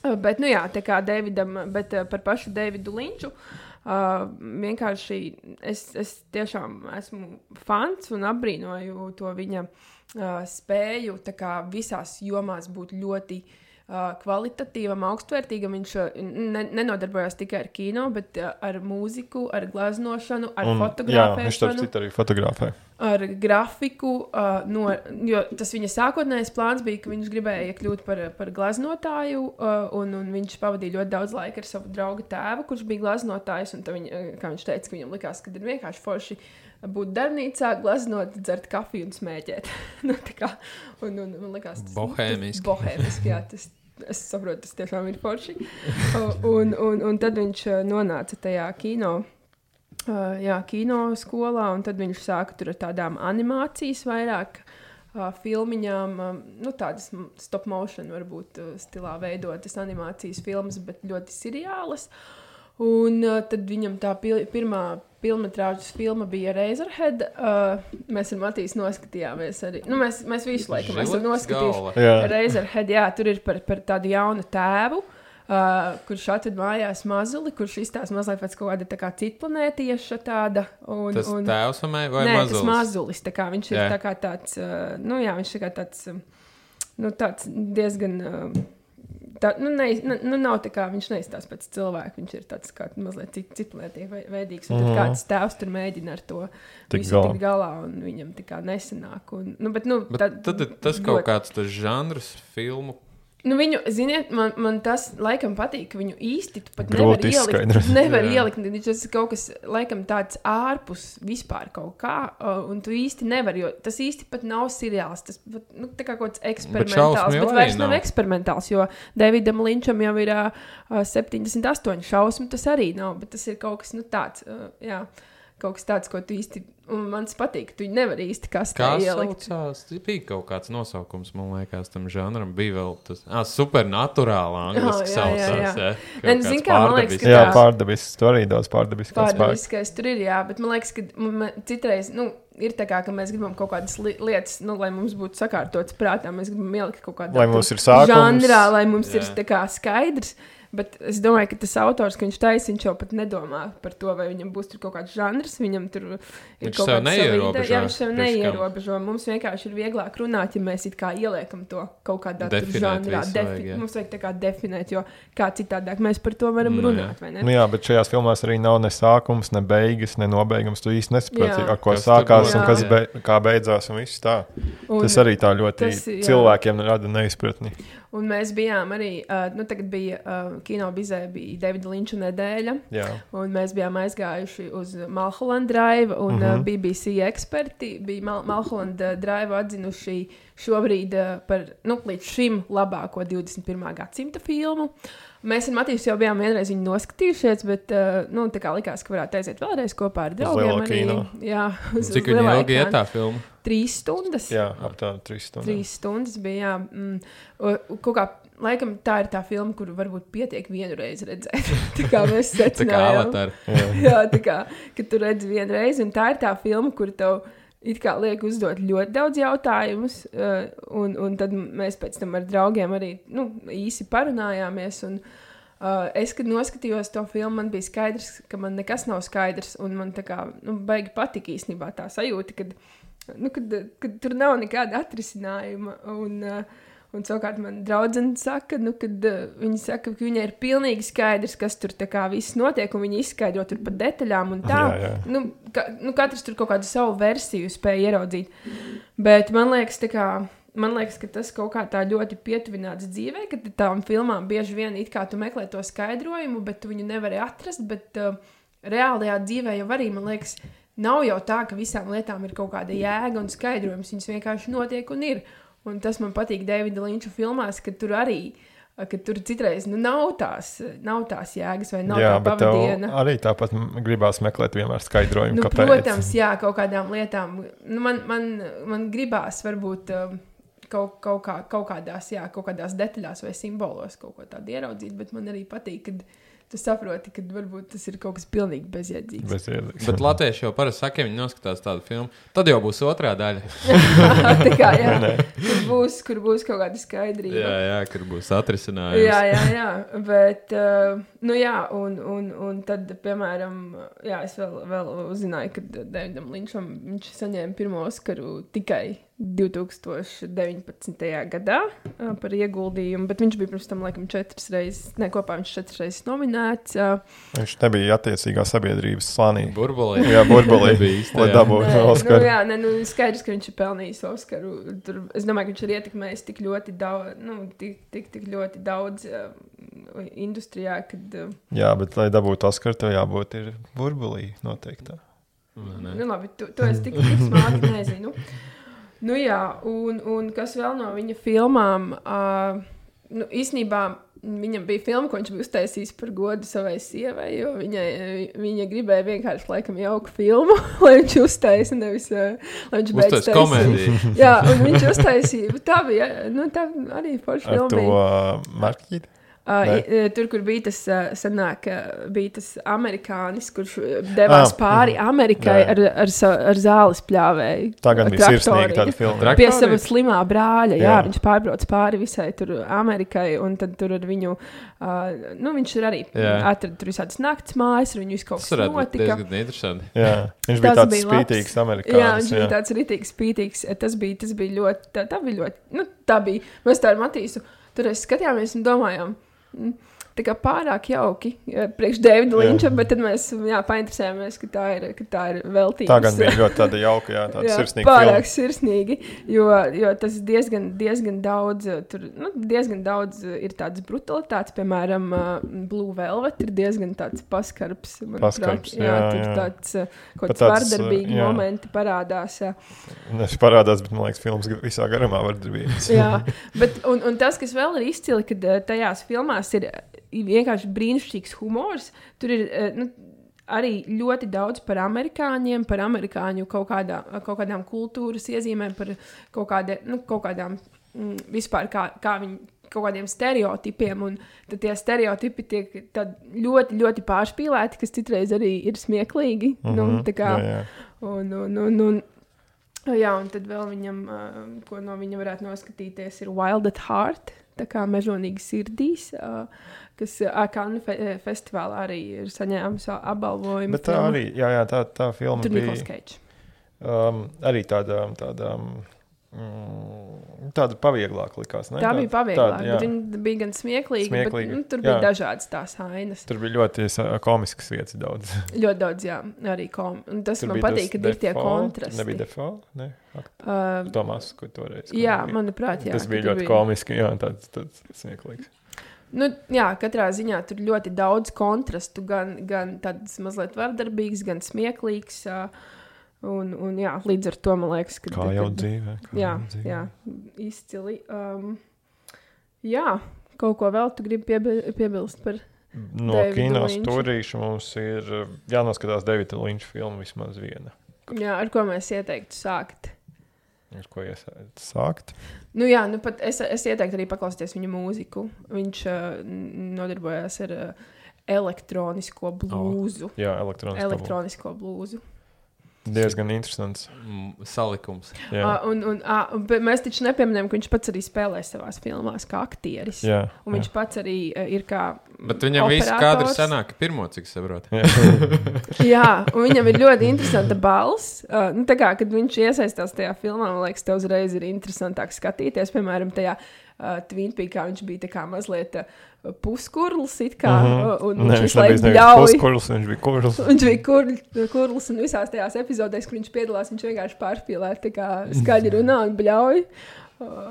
Uh, bet, nu jā, tā kā Davidam, bet uh, par pašu Davidu Linču, uh, vienkārši es, es tiešām esmu fans un apbrīnoju to viņa uh, spēju tā kā visās jomās būt ļoti Uh, kvalitatīvam, augstvērtīgam. Viņš uh, ne, nenodarbojās tikai ar kino, bet uh, ar mūziku, ar glaznošanu, ar Un, jā, viņš fotografēšanu, starp citu arī fotografē. ar grafiku. Uh, no, jo tas viņa sākotnējais plāns bija, ka viņš gribēja kļūt par, par glaznotāju, uh, un, un viņš pavadīja ļoti daudz laika ar savu draugu tēvu, kurš bija glaznotājs. Un viņa, uh, kā viņš teica, ka viņam likās, ka ir vienkārši forši būt darbnīcā, glaznot, dzert kafiju un smēķēt. nu, tā kā, un, un, man likās, tas Bohēmiski. tas bohēmiski, jā, tas, es saprotu, tas tiešām ir forši. un, un, un tad viņš uh, nonāca tajā kino, uh, jā, kino skolā, un tad viņš sāka tur ar tādām animācijas vairāk uh, filmiņām, um, nu tādas stop motion varbūt uh, stilā veidotas animācijas filmas, bet ļoti seriālas. Un uh, tad viņam tā pil pirmā filmas filma bija Razorhead. Uh, mēs ar Matīsu noskatījāmies arī. Nu, mēs, mēs visu laiku esam noskatījuši. Razorhead, jā, tur ir par, par tādu jaunu tēvu, uh, kurš atved mājās mazuli, kurš izstāsta mazliet pēc kaut kāda tā kā citplanētieša tāda. Un, Tas un, tēvs vai vai nē, mazulis? tas mazulis. Tā kā viņš ir Jā. tā kā tāds, uh, nu jā, viņš ir tā kā tāds, um, nu tāds diezgan... Uh, Tā, nu, ne, nu, nav tā kā viņš neizstāsta pēc cilvēka. Viņš ir tāds kā mazliet cit, citlētīgi veidīgs. Un tad kāds tēvs tur mēģina ar to Tik visu galā. tikt galā, un viņam tā kā nesanāk. Un, nu, bet, nu, Bet tā, tad ir tas kaut kāds tas žanrs filmu. Nu, viņu, ziniet, man, man tas laikam patīk, ka viņu īsti tu pat Grūti nevar ielikt. izskaidrot. Nevar Jā. ielikt, tas ir kaut kas laikam tāds ārpus vispār kaut kā, uh, un tu īsti nevar, jo tas īsti pat nav seriāls, tas pat, nu, tā kā kaut kāds eksperimentāls, šausmu jau bet arī vairs nav nav. eksperimentāls, jo Davidam Linčam jau ir uh, septiņdesmit astoņi šausmu, tas arī nav, bet tas ir kaut kas, nu, tāds, uh, jā, kaut kas tāds, ko tu īsti, un man tas patīk, tu nevar īsti kas Kā tā ielikt. saucās? Bija kaut kāds nosaukums, man liekas, tam žanram. Bija vēl tas ah, supernaturālā angliski Jā, jā, jā, saucās. jā. Jā, Nē, Kaut nu, zini kāds kā, man liekas, pārdabisks. ka Jā, tā- pārdabisks. Tur arī daudz pārdabisks spēks. Pārdabiskais tur ir, jā, bet man liekas, ka man, citreiz, nu, ir tā kā, ka mēs gribam kaut kādas li lietas, nu, lai mums būtu sakārtotas prātā, mēs gribam ielikt kaut kādā Lai mums ir sākums. žanrā, lai mums Jā. ir tā kā skaidrs, Bet es domāju, ka tas autors, ka viņš taisa, viņš jau pat nedomā par to, vai viņam būs tur kaut kāds žanrs. Viņam tur ir viņš kaut sev kāds neierobežo. Jā, viņš sev neierobežo. Mums vienkārši ir vieglāk runāt, ja mēs it kā ieliekam to kaut kādā tur žanrā. Defi- vajag, mums vajag tā kā definēt, jo kā citādāk mēs par to varam Nu, runāt, jā. vai ne? Nu, jā, bet šajās filmās arī nav ne sākums, ne beigas, ne nobeigums. Tu īsti nesaproti, Jā. ar ko Kas tur sākās būs, un kas jā. be, kā beidzās un viss tā. Un, Tas arī tā ļoti tas, jā. cilvēkiem rada neizpratni. un mēs bijām arī, uh, nu tagad bija uh, kino bizē, bija Davida Linča nedēļa, Jā. un mēs bijām aizgājuši uz Mulholland Drive, un Mhm. uh, B B C eksperti bija Mal- Mulholland uh, Drive atzinuši šobrīd uh, par, nu, līdz šim labāko divdesmit pirmā gadsimta filmu. Mēs ar Matīs jau bijām vienreiz viņu noskatījušies, bet uh, nu, tā kā likās, ka varētu aiziet vēlreiz kopā ar draugiem. lielo Arī, kino. jā, uz, Cik uz viņa lielā ilgi iet ekrāna. tā filma? Trīs stundas. Jā, aptuveni trīs stundas. Trīs stundas bija. Jā, mm, u- u- kaut kā, laikam, tā ir tā filma, kuru varbūt pietiek vienu reizi redzēt. Tā kā mēs Tā kā secinājām. avatar. Jā. Jā, tā kā, kad tu redzi vienu reizi, un tā ir tā filma, kur tev it kā liek uzdot ļoti daudz jautājumus, uh, un, un tad mēs pēc tam ar draugiem arī nu, īsi parunājāmies. Un, uh, es, kad noskatījos to filmu, man bija skaidrs, ka man nekas nav skaidrs, un man tā kā nu, baigi patika īstenībā tā sajūta, kad, nu, kad, kad tur nav nekāda atrisinājuma. Un, uh, Un savukārt man draudzene saka, nu, kad uh, viņa saka, ka viņai ir pilnīgi skaidrs, kas tur tā kā viss notiek, un viņa izskaidro tur pa detaļām un tā. Jā, jā. Nu, ka, nu, katrs tur kaut kādu savu versiju spēja ieraudzīt. Bet man liekas, tā kā, man liekas, ka tas kaut kā tā ļoti pietuvināts dzīvē, ka tām filmām bieži vien it kā tu meklē to skaidrojumu, bet tu viņu nevari atrast, bet uh, reālajā dzīvē jau arī, man liekas, nav jau tā, ka visām lietām ir kaut kāda jēga un skaidrojums, viņas vienkārši notiek un ir. Un tas man patīk Davida Linča filmās, ka tur arī, ka tur citreiz nu, nav, tās, nav tās jēgas vai nav Jā, tā bet tev pavadiena. arī tāpat gribās meklēt vienmēr skaidrojumu, Nu, kāpēc. protams, jā, kaut kādām lietām. Nu, man, man, man gribās varbūt um, kaut, kaut, kā, kaut, kādās, jā, kaut kādās detaļās vai simbolos kaut ko tādu ieraudzīt, bet man arī patīk, kad tu saproti, ka varbūt tas ir kaut kas pilnīgi bezjēdzīgs. Bezjēdzīgs. Bet latvieši jau parasti saka, ja viņi noskatās tādu filmu, tad jau būs otrā daļa. Tā kā, jā, kur būs, kur būs kaut kāda skaidrība. Jā, jā, kur būs atrisinājums. Jā, jā, jā, bet, uh, nu jā, un, un, un tad, piemēram, jā, es vēl, vēl uzzināju, ka Davidam Linčam viņš saņēma pirmo Oskaru tikai divtūkstoš deviņpadsmitajā gadā uh, par ieguldījumu, bet viņš bija pirms tam, laikam, četras reizes, ne, kopā viņš četras reizes nominēts. Uh, Viņš nebija attiecīgā sabiedrības slānī. Burbulī. Jā, burbulī, Nebija īsti, lai jā. dabūtu Nē, Oskaru. Nu, jā, ne, nu, skaidrs, ka viņš ir pelnījis Oskaru. Tur, es domāju, ka viņš ir ietekmējis tik ļoti daudz, nu, tik, tik, tik ļoti daudz uh, industrijā, kad, uh, Jā, bet, lai dabūtu Oskaru, tev jābūt ir burbulī noteikti. Ne. nu, labi, to, to es tik, tik smāki nezinu. Nu jā, un, un kas vēl no viņa filmām, uh, nu, īstenībā viņam bija filma, ko viņš bija uztaisījis par godu savai sievai, jo viņai, viņa gribēja vienkārši laikam jauku filmu, lai viņš uztaisa, nevis, uh, lai viņš beidz Uztais komēdiju. Jā, un viņš uztaisīja, tā bija, nu, tā arī forša Ar filma to bija. uh, marķīti? Uh, Nē. i- tur, kur bija tas, uh, sanāk, uh, bija tas amerikānis, kurš uh, devās Ah, pāri Amerikai jā. ar, ar, sa- ar zāles pļāvēju. Tā gan bija sirsnīga tāda filma. Trak- Pie Traktorī? sava slimā brāļa, jā, Jā. viņš pārbrauc pāri visai tur Amerikai, un tad tur ar viņu, uh, nu, viņš ir arī Jā. atrada tur visādas nakts mājas, ar viņu visu kaut Tas kas varētu būt notika. diezgan interesanti. Jā, viņš Tas bija tāds bija labs. spītīgs Jā, amerikānis. viņš bija tāds rītīgs, spītīgs. Tas bija, tas bija ļoti, tā, tā bija ļoti, nu, tā bija, mēs tā ar Matīsu, tur es skatījāmies un domājām, mm, tā kā pārāk jauki jā, priekš Davida Jā. Linča, bet tad mēs, jā, painteresējāmies, ka tā ir, ka tā ir veltības. Tā gan bija ļoti tāda jauka, jā, tāda Jā, sirsnīga pārāk filma. sirsnīgi, jo, jo tas diezgan, diezgan daudz, uh, tur, nu, diezgan daudz uh, ir tādas brutalitātes, piemēram, uh, Blue Velvet ir diezgan tāds paskarbs. manuprāt. Paskarbs, jā, jā, tur jā. tāds, uh, kaut Pat kāds tāds, uh, vardarbīgi jā. momenti parādās. Jā. Viņš parādās, bet man liekas, filmas visā garumā var darbības. Jā, bet, un, un tas, kas vēl ir izcili, kad uh, tajās filmās ir uh, vienkārši brīnišķīgs humors, tur ir uh, nu, arī ļoti daudz par amerikāņiem, par amerikāņu kaut, kādā, kaut kādām kultūras iezīmēm, par kaut, kādi, nu, kaut kādām mm, vispār kā, kā viņi. Kaut kādiem stereotipiem, un tad tie stereotipi tiek tad ļoti, ļoti pārspīlēti, kas citreiz arī ir smieklīgi. Mm -hmm, nu, tā kā, jā, jā. un, un, un, un, jā, un tad vēl viņam, uh, ko no viņa varētu noskatīties, ir Wild at Heart. tā kā Mežonīgi sirdīs, uh, kas Cannes fe festivālā arī ir saņēmusi apbalvojumu. Bet tā filmu. Arī, jā, jā, tā, tā filma Tur bija... Nicolas Cage. Um, arī tāda... tāda Mm, tāda pavieglāka likās, ne? Tā bija pavieglāka, tāda, bet viņa bija gan smieklīga, smieklīga. Bet nu, tur jā. bija dažādas tās ainas. Tur bija ļoti komiskas vietas daudz. Ļoti daudz, jā, arī kom. Un tas tur man patīk, kad ir tie kontrasti. Nebija Defoe, ne? Uh, Tomas, ko toreiz. Jā, manuprāt, jā. Tas bija ļoti bija... komiski, jā, tāds, tāds smieklīgs. Nu, jā, katrā ziņā tur ļoti daudz kontrastu, gan, gan tāds mazliet vardarbīgs, gan smieklīgs. Uh, Un, un jā, līdz ar to man liekas, ka... Kā jau kad, dzīvē. Kā jā, jau dzīvē. jā, izcili. Um, jā, kaut ko vēl tu gribi piebil, piebilst par No kino stūrīša mums ir jānoskatās Davida Linča filmu vismaz viena. Jā, ar ko mēs ieteiktu sākt? Ar ko iesaistīt sākt? Nu jā, nu pat es, es ieteiktu arī paklausīties viņa mūziku. Viņš uh, nodarbojās ar uh, elektronisko blūzu. Oh, jā, elektronisko, elektronisko blūzu. Diezgan interesants salikums. Uh, un, un, uh, mēs taču nepieminējam, ka viņš pats arī spēlē savās filmās kā aktieris. Jā, un viņš jā. pats arī uh, ir kā Bet viņam operators. Viss kadri sanāk pirmo, cik saprot. Jā. Jā, un viņam ir ļoti interesanta balss. Uh, nu, tā kā, kad viņš iesaistās tajā filmā, man liekas, tev uzreiz ir interesantāk skatīties. Piemēram, tajā uh, Twin Peakā viņš bija tā kā mazliet... Uh, puskurls it kā, uh -huh. un ne, viņš viņš nebija puskurls, viņš bija kurls. Viņš bija kur, kurls, un visās tajās epizodēs, kur viņš piedalās, viņš vienkārši pārspīlē, tā kā skaļi runā un bļauj.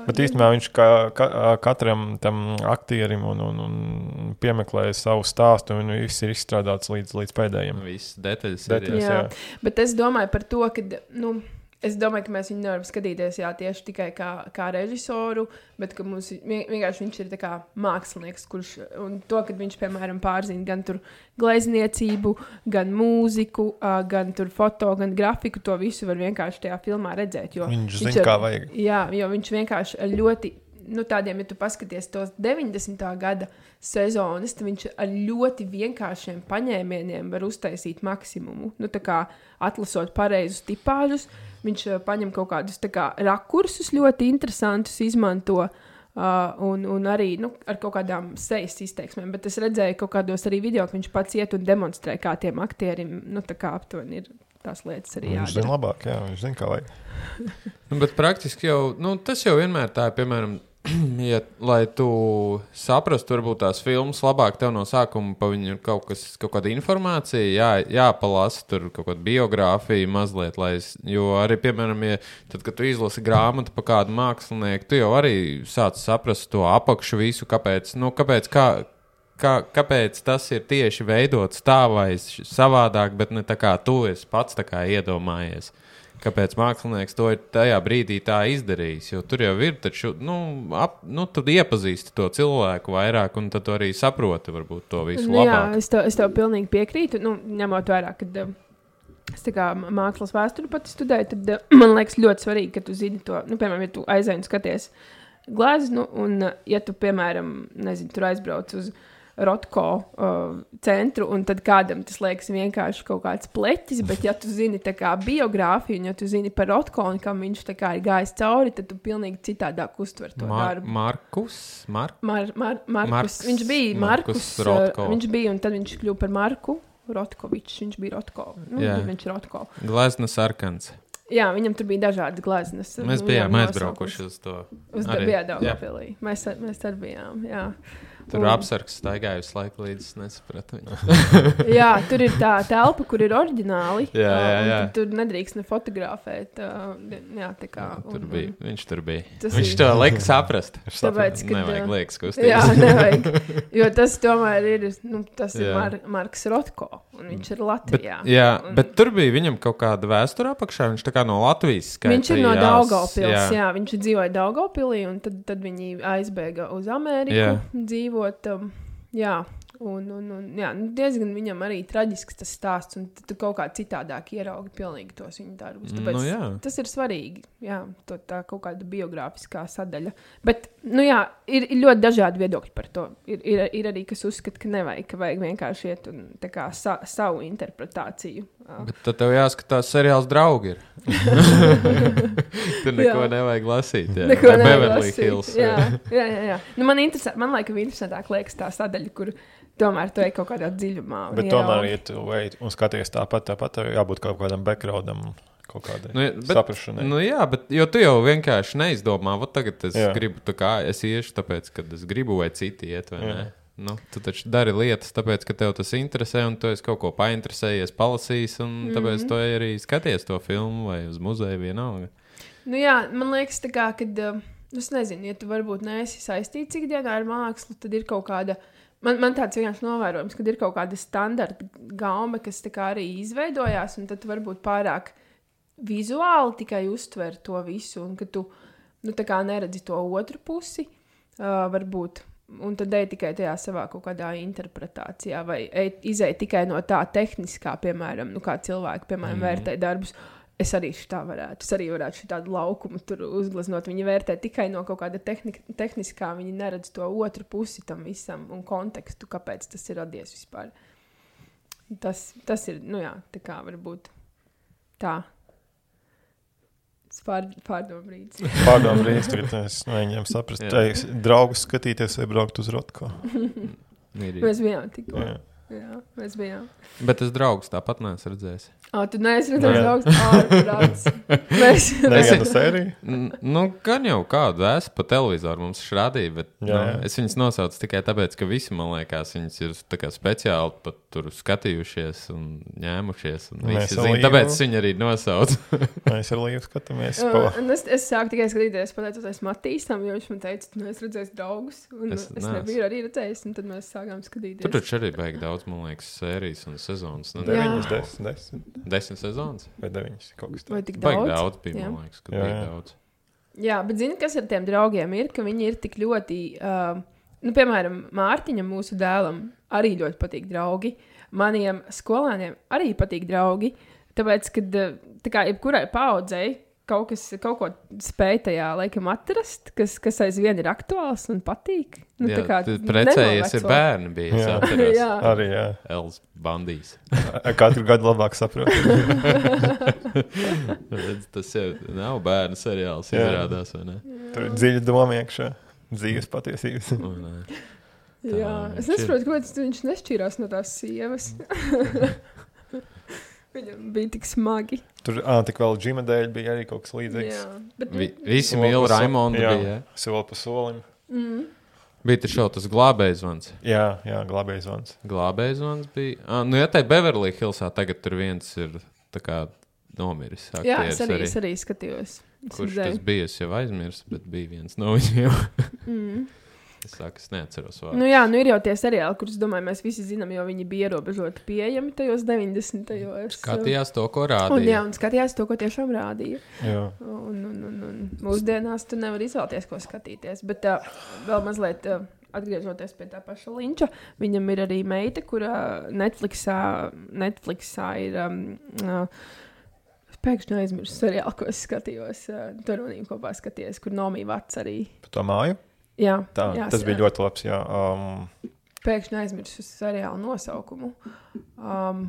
Bet īstenībā viņš ka, ka, katram tam aktierim un, un, un piemeklēja savu stāstu, un viss ir izstrādāts līdz, līdz pēdējiem. Viss detaļas, detaļas ir, jā. jā. Bet es domāju par to, ka, nu, es domāju, ka mēs viņu nevaram skatīties jā, tieši tikai kā, kā režisoru, bet ka mums vienkārši viņš ir tā kā mākslinieks, kurš, un to, kad viņš, piemēram, pārzina gan tur glezniecību, gan mūziku, gan tur foto, gan grafiku, to visu var vienkārši tajā filmā redzēt. Jo viņš viņš zina, ar, kā vajag. Jā, jo viņš vienkārši ļoti, nu tādiem, ja tu paskaties tos deviņdesmitā gada sezonas, tad viņš ar ļoti vienkāršiem paņēmieniem var uztaisīt maksimumu. Nu tā kā atlasot pareizus tipāžus, viņš uh, paņem kaut kādus tā kā rakursus ļoti interesantus, izmanto uh, un, un arī nu, ar kaut kādām sejas izteiksmēm. Bet es redzēju kaut kādos arī video, ka viņš pats iet un demonstrē, kā tiem aktierim, nu tā kā aptuveni ir tās lietas arī jādara. Viņš zina labāk, jā, viņš zina, kā vajag. Nu, bet praktiski jau, nu tas jau vienmēr tā ir, piemēram, ja, lai tu saprastu, varbūt tās filmas labāk tev no sākuma pa viņu ir kaut kas, kaut kāda informācija, jā, jāpalasa tur kaut kāda biogrāfija mazliet, lai es, jo arī, piemēram, ja tad, kad tu izlasi grāmatu pa kādu mākslinieku, tu jau arī sāc saprast to apakšu visu, kāpēc, nu, kāpēc, kā, kā, kāpēc tas ir tieši veidots tā vai savādāk, bet ne tā kā tu esi pats tā kā iedomājies. Kāpēc mākslinieks to ir tajā brīdī tā izdarījis, jo tur jau ir, taču, nu, ap, nu tu iepazīsti to cilvēku vairāk, un tad tu arī saproti varbūt to visu nu, labāk. Jā, es tev, es tev pilnīgi piekrītu, nu, ņemot vairāk, kad uh, es tā kā mākslas vēsturi pati studēju, tad uh, man liekas ļoti svarīgi, ka tu zini to, nu, piemēram, ja tu aizēji un skaties gleznu, un uh, ja tu, piemēram, nezinu, tur aizbrauc uz Rotko uh, centru, un tad kādam tas liekas vienkārši kaut kāds pleķis, bet ja tu zini tā kā biogrāfiju, un ja tu zini par Rotko, un kam viņš tā kā ir gājis cauri, tad tu pilnīgi citādāk uztver to Mar darbu. Markus? Mar Mar Mar Markus. Marks, viņš bija Markus, Markus Rotko. Uh, viņš bija, un tad viņš kļuva par Marku Rotkovičs, viņš bija Rotko. Nu, Jā. viņš ir Rotko. Glezna sarkans. Jā, viņam tur bija dažādas gleznas. Mēs bijām aizbraukuši uz to. Uz Daugavpilī. Mēs, mēs arī bijām, jā. Tur un... apsargs staigāja visu laiku, līdz es nesapratu viņu. Jā, tur ir tā telpa, kur ir oriģināli. Jā, jā, jā. Tur nedrīkst ne fotografēt. Jā, tā kā. Tur un, bija, un, viņš tur bija. Tas Viņš ir- to lika saprast. Tāpēc, kad, Nevajag jā. liekas kustības. Jā, nevajag. Jo tas tomēr ir, nu, tas ir Jā. Mar Marks Rotko, un viņš ir Bet, Latvijā. jā, un, bet tur bija viņam kaut kāda vēsture apakšā. Viņš tā kā no Latvijas Viņš ir no skaitījās, Daugavpils, jā. jā. jā, viņš dzīvoja Daugavpilī, un tad, tad viņi aizbēga uz Ameriku Jā. dzīvot. Um, jā, un, un, un jā, nu, diezgan viņam arī traģisks tas stāsts, un tu kaut kā citādāk ieraugi pilnīgi tos viņa darbus. Tāpēc Nu, jā. tas ir svarīgi, jā, to, tā kaut kāda biogrāfiskā sadaļa. Bet, nu jā, ir, ir ļoti dažādi viedokļi par to. Ir, ir, ir arī, kas uzskata, ka nevajag, ka vajag vienkārši iet un tā kā sa, savu interpretāciju Bet tad tev jāskatās seriāls Draugi ir. Tur neko jā. Nevajag lasīt. Jā. Neko nevajag Beverly lasīt. Hills. Jā, jā, jā. jā. Nu, man, interesē, man laikam interesantāk liekas tā sadaļa, kur tomēr tu ej kaut kādā dziļumā. Bet tomēr, ja tu ej un skaties tāpat, tāpat jābūt kaut kādam backgroundam, kaut kādai nu, bet, saprašanai. Nu jā, bet jo tu jau vienkārši neizdomā, vot tagad es jā. gribu, tā kā es iešu tāpēc, kad es gribu vai citi iet, vai jā. ne? Nu, tu taču dari lietas, tāpēc, ka tev tas interesē, un tu esi kaut ko painteresējies, palasījis, un mm-hmm. tāpēc tu arī skaties to filmu vai uz muzeju vienalga. Nu jā, man liekas, tā kā, kad, es nezinu, ja tu varbūt neesi saistīts ikdienā ar mākslu, tad ir kaut kāda, man, man tāds vienkārši novērojums, kad ir kaut kāda standarta gaume, kas tā kā arī izveidojās, un tad tu varbūt pārāk vizuāli tikai uztver to visu, un ka tu, nu, tā kā neredzi to otru pusi, uh, varbūt. Un tad ej tikai tajā savā kaut kādā interpretācijā, vai ej, izej tikai no tā tehniskā, piemēram, nu kā cilvēki, piemēram, mm. vērtē darbus. Es arī šitā varētu, es arī varētu šitādu laukumu tur uzgleznot. Viņi vērtē tikai no kaut kāda tehni, tehniskā, viņi neredz to otru pusi tam visam un kontekstu, kāpēc tas ir radies vispār. Tas, tas ir, nu jā, tā kā varbūt tā. Pār, pārdomu brīdis. Pārdomu brīdis, tagad es mēģinām saprast, tai draugus skatīties vai braukt uz Rotko. Mēs bijām tikko. Jā. Jā, mēs bijām. Bet es draugus tāpat neesmu redzējis. Ā, tu neesi redzējis draugus? Ā, prāts. Mēs... Nevienu sēriju? Nu, gan jau kādu esmu pa televizoru mums rādīja, bet jā, jā. Nu, es viņus nosaucu tikai tāpēc, ka visi, man liekas, viņus ir tā kā speciāli pat tur skatījušies un ņēmušies. Un visi zin, tāpēc viņi arī nosauc. Mēs ar Līvu skatāmies. Uh, es, es sāku tikai skatīties, pateicoties Matīsam, jo viņš man teica, tu neesi redzējis draugus. Un es, es nebiju arī redzējis, un tad mēs sākām skatīties. Tur taču arī baigi daudz, man liekas, sērijas un sezonas. Deviņas, desmit, desmit. Desmit sezonas? Vai deviņas, kaut kas tā. Vai tik daudz? Baigi daudz bija, jā. man liekas, ka baigi daudz. Jā, bet zini, kas ar tiem draugiem ir, ka viņi ir tik ļoti, uh, nu, piemēram, Mārtiņam, mūsu dēlam, arī ļoti patīk draugi. Maniem skolēniem arī patīk draugi, tāpēc, kad, tā kā jebkurai paaudzei, kaut kas, kaut ko spēj tajā laikam atrast, kas, kas aizvien ir aktuāls un patīk. Nu, jā, tā kā precējies ir bērni bija, jā. atceros. Jā. Arī, jā. Els bandīs. Katru gadu labāk saprot. Tas jau nav bērnu seriāls, jā. Izrādās, vai ne? Tur ir dziļa doma iekšā, dzīves patiesības. O, nē. Tā, jā, es nesaprotu, kāpēc viņš nešķīrās no tās sievas. Viņam bija tik smagi. Tur ā, tik vēl Džima dēļ bija arī kaut kas līdzīgs. Jā, bet... Vi, visi mīl Raimondu jā, bija, jā? Soli pa solim. Mm. Bija tur šau tas glābējzvans. Jā, jā, glābējzvans. Glābējzvans bija. Ah, nu, ja tai Beverly Hillsā tagad tur viens ir tā kā nomiris. Jā, es arī, arī. es arī skatījos. Es kurš redzēju. tas bija, es jau aizmirsu, bet bija viens no viņiem. mm. Es saku, es neatceros vārdu. Nu jā, nu ir jau tie seriāli, kurus, domāju, mēs visi zinām, jo viņi bija ierobežoti pieejami tajos deviņdesmitajos. Skatījās to, ko rādīja. Un, jā, un skatījās to, ko tiešām rādīja. Jā. Un, un, un, un mūsdienās tu nevar izvēlēties, ko skatīties. Bet uh, vēl mazliet uh, atgriežoties pie tā paša Linča, viņam ir arī meita, kura Netflixā, Netflixā ir... Um, uh, pēkšņi aizmirsu seriālu, ko es skatījos. Uh, tur manīm kopā skaties, kur Nomi Vats arī. Pa to māju? Jā, tā, jā, tas bija ļoti labs. Jā. Um, Pēkšņi aizmirsu seriālu nosaukumu. Um,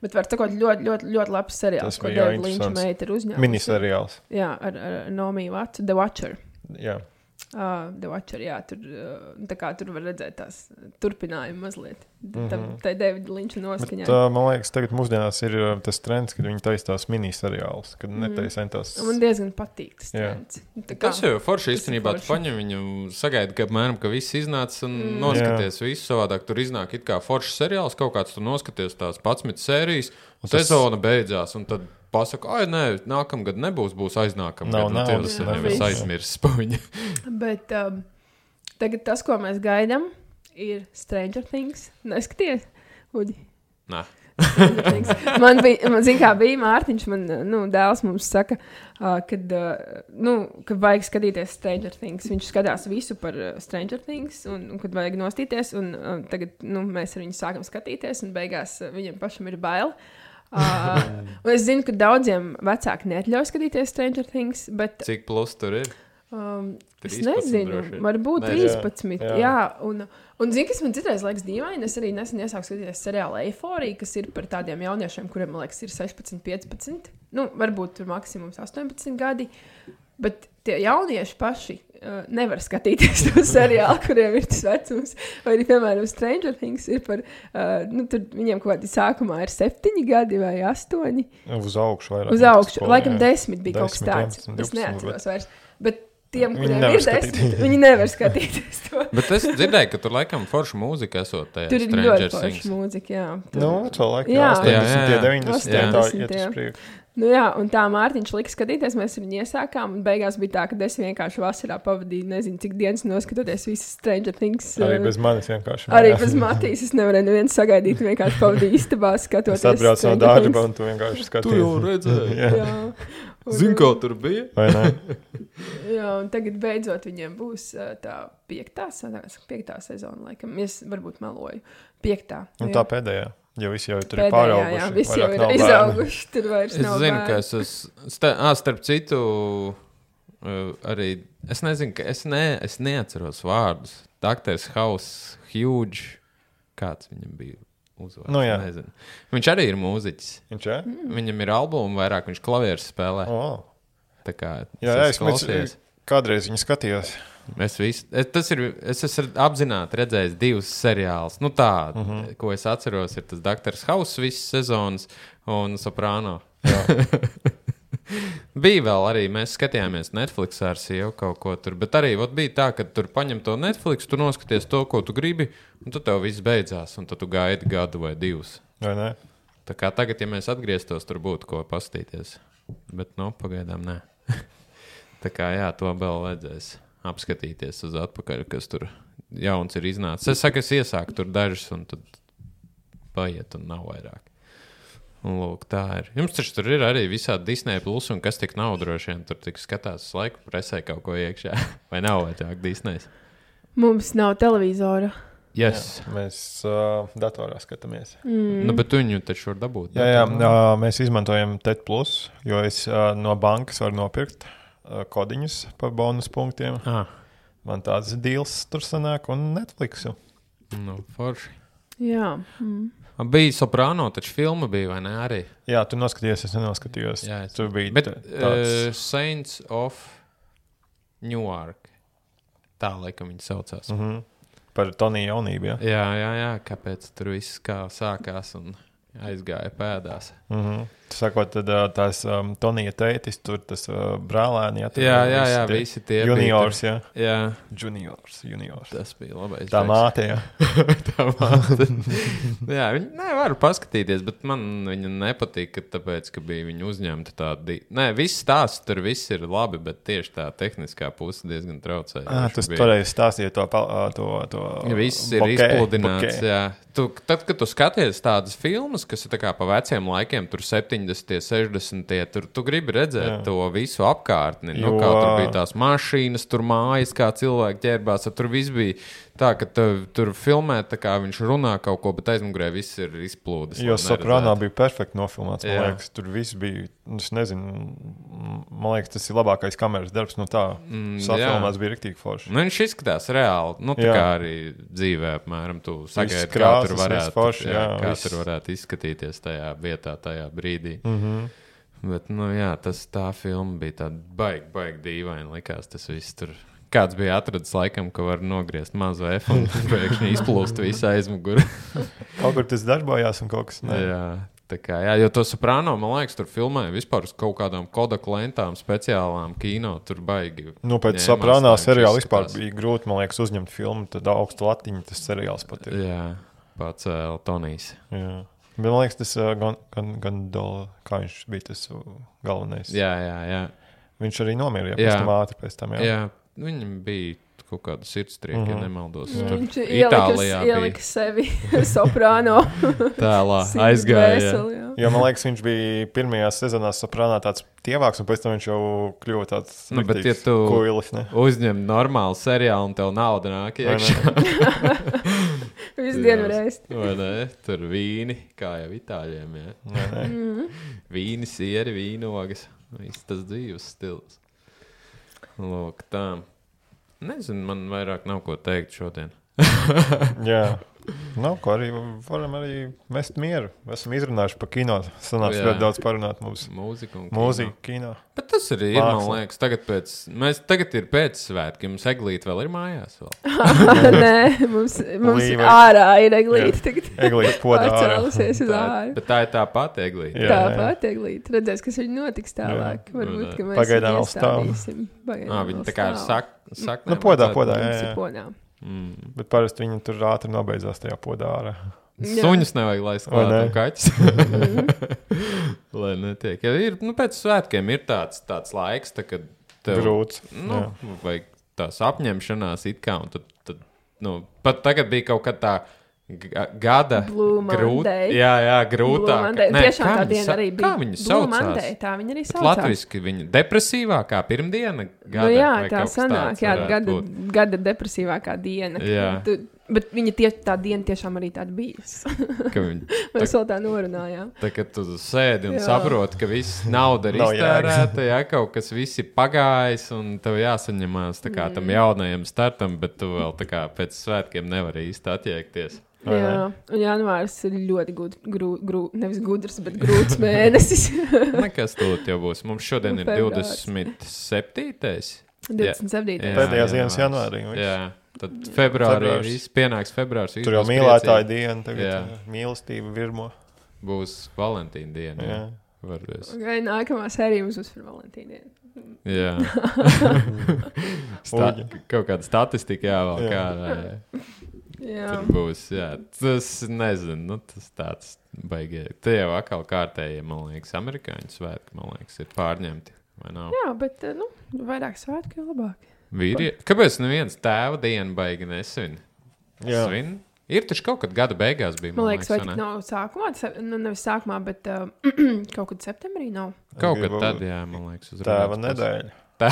bet var sakot, ļoti, ļoti, ļoti labs seriāls, ko David Linča meita ir uzņēmusi. Miniseriāls. Jā, ar, ar Nomi Vatu, The Watcher. Jā. Uh, The Watcher, jā, tur, uh, tā kā tur var redzēt tās turpinājumu mazliet. Mm -hmm. Tā ir Davida Linča noskaņā. Bet, uh, man liekas, tagad mūsdienās ir uh, tas trends, kad viņi taisa tās miniseriālus, kad mm. netaisa tās... Man diezgan patīk tas trends. Tā kā, tas jau forši īstenībā, tu paņem viņu, sagaidi, ka apmēram, ka viss iznāca un mm. noskaties jā. Visu savādāk. Tur iznāk it kā foršs seriāls, kaut kāds tur noskaties tās padsmit sērijas, un tas... sezona beidzās, un tad pasaka, ai, nē, nākamgad nebūs, būs aiznākamgad. Nav, nav. Tas ir nevis aizmirsis paņa. Bet um, tagad tas, ko mēs gaidām, ir Stranger Things. Neskaties, Uģi? Nē. man bija, man zin kā bija Mārtiņš, man, nu, dēls mums saka, uh, kad, uh, nu, kad vajag skatīties Stranger Things. Viņš skatās visu par uh, Stranger Things, un, un kad vajag nostīties, un uh, tagad, nu, mēs ar viņu sākam skatīties, un beigās uh, viņam pašam ir bail. Uh, es zinu, ka daudziem vecāki neatļauj skatīties Stranger Things, bet... Cik plus tur ir? Um, es trīspadsmit nezinu, droši vien. varbūt Nezinu. trīspadsmit. Jā. Jā, un, un zini, kas man citreiz liekas dīvaini, es arī nesen iesāku skatīties seriālu Eiforija, kas ir par tādiem jauniešiem, kuriem, man liekas, ir sešpadsmit, piecpadsmit, nu, varbūt tur maksimums astoņpadsmit gadi, bet tie jaunieši paši uh, nevar skatīties to seriālu, kuriem ir tas vecums, vai arī, piemēram, Stranger Things ir par, uh, nu, tur viņiem kaut kādi sākumā ir septiņi gadi vai astoņi. Uz augšu vairāk. Uz augšu, skolu, laikam jā. desmit bija kaut kas desmit, tāds. vienpadsmit, Es neatceros divpadsmit, vairs. Bet tiem, Viņi kuriem nevar ir desmit, skatīties. viņi nevar skatīties to. Bet es dzirdēju, ka tur laikam forša mūzika esot tajā Tur ir Stranger ļoti Things. forša mūzika, jā. Tur... Nu, cilvēki, Jā. jā, astoņdesmit, Jā, jā, jā. deviņdesmit, tā astoņdesmit, iet jā. uz priekšu. Nu jā, un tā Mārtiņš lika skatīties, mēs viņu iesākām, un beigās bija tā, ka es vienkārši vasarā pavadīju, nezinu, cik dienas noskatoties visas Stranger Things. Arī uh, bez manis vienkārši. Arī mājās. bez Matīs es nevarēju nevienu sagaidīt, vienkārši pavadīju istabā skatoties. Es atbraucu no Stranger darba, Things. un tu vienkārši Tu skaties. jau redzēji. Jā. Jā. Un, Zini, kā tur bija? Vai ne? Jā, un tagad beidzot viņiem būs uh, tā piektā, sanās, piektā sezona, laikam. Es varbūt meloju. Piektā. Un jā. tā pēdējā. Jo visi jau tur ir Pēdējā, pārauguši. jā, visi jau vairāk ir nav bērnu. izauguši, tur vairs Es nav zinu, bērnu. ka es esmu. Sta, ā, starp citu, uh, arī. Es nezinu, ka es, ne, es neatceros vārdus. Doktors House, Huge. Kāds viņam bija uzvārds? Nu, jā. Nezinu. Viņš arī ir mūziķis. Viņš ir? Mm. Viņam ir albumi vairāk, viņš klavierus spēlē. Oh. Tā kā Jā, es jā, es esmu mēs, klausījies. kādreiz viņu skatījos. Es, visu, es, tas ir, es esmu apzināti redzējis divus seriālus. Nu, tā, uh Mhm. -huh. Ko es atceros, ir tas Doktors House visas sezonas un Soprano. Bija vēl arī, mēs skatījāmies Netflix ar sievu kaut ko tur, bet arī ot, bija tā, ka tur paņem to Netflix, tu noskaties to, ko tu gribi, un tad tev viss beidzās, un tad tu gaidi gadu vai divus. Vai ne? Tā kā tagad, ja mēs atgrieztos, tur būtu ko pastīties. Bet, nu, pagaidām nē. Tā kā, jā, to vēl vajadzēs apskatīties uz atpakaļ, kas tur jauns ir iznācis. Es saku, es iesāku tur dažus, un tad paiet, un nav vairāk. Un, lūk, tā ir. Jums taču tur ir arī visādi Disney plus, un kas tik nav droši vien, tur tik skatās uz laiku presē kaut ko iekšā. Vai nav vajadzāk Disney? Mums nav televizora. Yes. Jā, mēs uh, datorā skatāmies. Mm. Nu, bet tu viņu taču var dabūt. Jā, jā, uh, mēs izmantojam T E D plus, jo es uh, no bankas varu nopirkt uh, kodiņus par bonus punktiem. Ah, Man tāds deals tur sanāk un Netflixu. nu, forši. Jā. Mm. Bija Soprano, taču filma bija, vai ne, arī? Jā, tu noskatījies, es nenoskatījos. Jā, es- Tur bija Bet t- uh, Saints of Newark. Tā, laikam, viņi saucās. uh -huh. Par Toniju jaunību, jā. Jā, jā, jā, kāpēc tur viss kā sākās un aizgāja pēdās. Uh -huh. Sakot, tad uh, tās um, Tonija tētis, tur tas uh, brālēni. Jā, tur Jā, jā, visi jā, tie visi tie bija Juniors, tur. jā. Jā, Juniors, juniors. tas bija labais. Tā džeks. māte, jā. Tā māte. Jā, viņi nevar paskatīties, bet man viņa nepatika, tāpēc, ka bija viņa uzņemta tāda. Nē, viss stāsts tur viss ir labi, bet tieši tā tehniskā puse diezgan traucēja. Ah, tas pareizi stāstīja to, pa- to, to Ja viss ir bokeh, izpludināts. bokeh. Jā. Tu, tad, kad tu skaties tādas filmas, kas ir tā kā pa veciem laikiem, tur septiņdesmitie, sešdesmitie, tur tu gribi redzēt jā. to visu apkārtni. Nu, Jo- kā tur bija tās mašīnas, tur mājas, kā cilvēki ķērbās. Tur viss bija tā, ka tu, tur filmē, tā kā viņš runā kaut ko, bet aizmugurē viss ir izplūdis. Jo lai Soprano neredzētu. bija perfekti nofilmēts. Man Jā. liekas, tur viss bija. Es nezinu, man liekas, tas ir labākais kameras darbs. No tā Mm, safilmēts bija rīktīgi forši. Nu, viņš izskatās reāli. Nu, tā Jā. kā arī dzīvē, apmēram, tu sagaidi, kā krāsas, tur viss varētu, forši, jā, jā, kā viss. tur varētu izskatīties tajā vietā, tajā brīdī. Mm -hmm. Bet, nu, jā, tas tā filma bija tāda baigi, baigi dīvaina. Likās, tas viss tur. Kāds bija atradis laikam, ka var nogriezt mazu F un pēkšņi izplūst visu aizmuguri. Kaut kur tas darbojās un kaut kas ne. jā, tā kā, jā, jo to Soprano, man liekas, tur filmēja vispār uz kaut kādām Kodak lentām, speciālām kino. Tur baigi. Nu, pēc ņēmās, Soprano lai viņš seriāla vispār izskatās. bija grūti, man liekas, uzņemt filmu. Tad augstu latiņu tas seriāls pat ir. Jā, pats uh, Tonijs. Jā. Bet man liekas, tas uh, gan, gan, gan Dola, kā viņš bija tas uh, galvenais. Jā, jā, jā. Viņš arī nomira, ja Jā. pēc tam ātri pēc tam. Jā. jā. Viņam bija kaut kāda sirdstrieka, mm -hmm. ja nemaldos. Jā. Tur Viņš Itālijā ielika, ielika sevi Soprano. tēlā Sirds aizgāja. jā. dvēseli, jā. Jo man liekas, viņš bija pirmajā sezonā Soprano tāds tievāks, un pēc tam viņš jau kļuva tāds Nu, bet, ja riktīgs tu- kuilis, ne? Uzņem normālu seriālu un tev nauda nāk Vai ne? iekšā. Visu dienu reist. Vai ne? Tur vīni, kā jau itāļiem. Jā. Vai ne? Mm. Vīni, sieri, vīnogas. Viss tas dzīves stils. Lūk, tā. Nezinu, man vairāk nav ko teikt šodien. Jā. Nav ko arī varam arī mest mieru. Esam izrunājuši par kino. Sanāks Jā. ļoti daudz parunāt mums. Mūzika un Mūzika, kino. Bet tas arī ir, man Māksla. liekas, tagad pēc, mēs tagad ir pēc svētki, jums eglīte vēl ir mājās vēl. Nē, mums, mums Līve. ārā ir eglīte. Tagad Eglīte podā ārā. pārcēlusies uz Tā, āru. bet tā ir tā pati eglīte. Jā, jā. Tāpat eglīte. Redzēs, kas viņa notiks tālāk. Jā. Varbūt, ka mēs Pagaidām vēl stāv. iestādīsim. Pagaidām Ā, vēl viņi tā kā ir stāv. sak, saknēm. Nu, podā, atved- podā, jā, Mums ir jā. podā. Mm. Bet parasti viņi tur ātri nobeidzās tajā podā ārā. Jā. Suņus nevajag laist Vai klāt ne? un kaķis. Lai netiek. Ja ir, nu, pēc svētkiem ir tāds, tāds laiks, tā, kad tev, Grūts. nu, Jā. vajag tās apņemšanās it kā, un tad, tad nu, pat tagad bija kaut kad tā ga- gada Blue Monday. Jā, jā, Blue grūtāk. Monday. Nē, Tiešām kā tā viņi diena sa- arī bija. Kā viņi Blue saucās? Monday, tā viņa arī Bet saucās. latviski viņa depresīvākā pirmdiena gada. Nu, jā, vai tā kaut kas sanāk, tāds jā, varētu gada, būt. gada depresīvākā diena. Jā. Tu, bet viņa tie, tā diena tiešām arī tāda bijusi. Ka viņi, Mēs vēl tā norunājām. tā, kad tu sēdi un Jā. saproti, ka viss nauda ir Nav iztērēta, jā, kaut kas viss ir pagājis, un tev jāsaņemās tā kā Mm. tam jaunajam startam, bet tu vēl tā kā pēc svētkiem nevari īsti attiekties. Vai ne? Jā, un janvārs ir ļoti gud, grū, grū, nevis gudrs, bet grūts mēnesis. Nekas tūlīt jau būs. Mums šodien ir Februārs. divdesmit septītais. divdesmit septītais Jā, Pēdējās dienas janvārs. janvārī. viss. Jā, tad februārī Februārs. viss pienāks februārs. viss Tur jau būs mīlētāja priecīgi. diena, tagad Jā. jā. Mīlestība virmo. Būs Valentīna diena. Jā. Jā. Varbūt. Okay, nākamā sērija mums būs par Valentīnu dienu. Jā. Sta Uģi. kaut kāda statistika jāvēl. Jā. Kā, Jā, tur būs. Jā. Tas nezinu, nu, tas tāds baigie. Te jau atkal kārtējie, man liekas, amerikāņu svētki, man liekas, ir pārņemti. Vai nav? Jā bet eh, nu, vairāk svētku, jo labāk. Vīrie... Kāpēc neviens tēva dienu baigi nesvin? Jā. Svin? Ir taču kaut kad gada beigās bija. Man liekas, vai vai tik ne? nav sākumā, tas, nu, nevis sākumā, bet uh, kaut kad septembrī nav. Kaut kad Gribu- tad, jā, man liekas, uz Tēva Rudolfs nedēļa. Tā.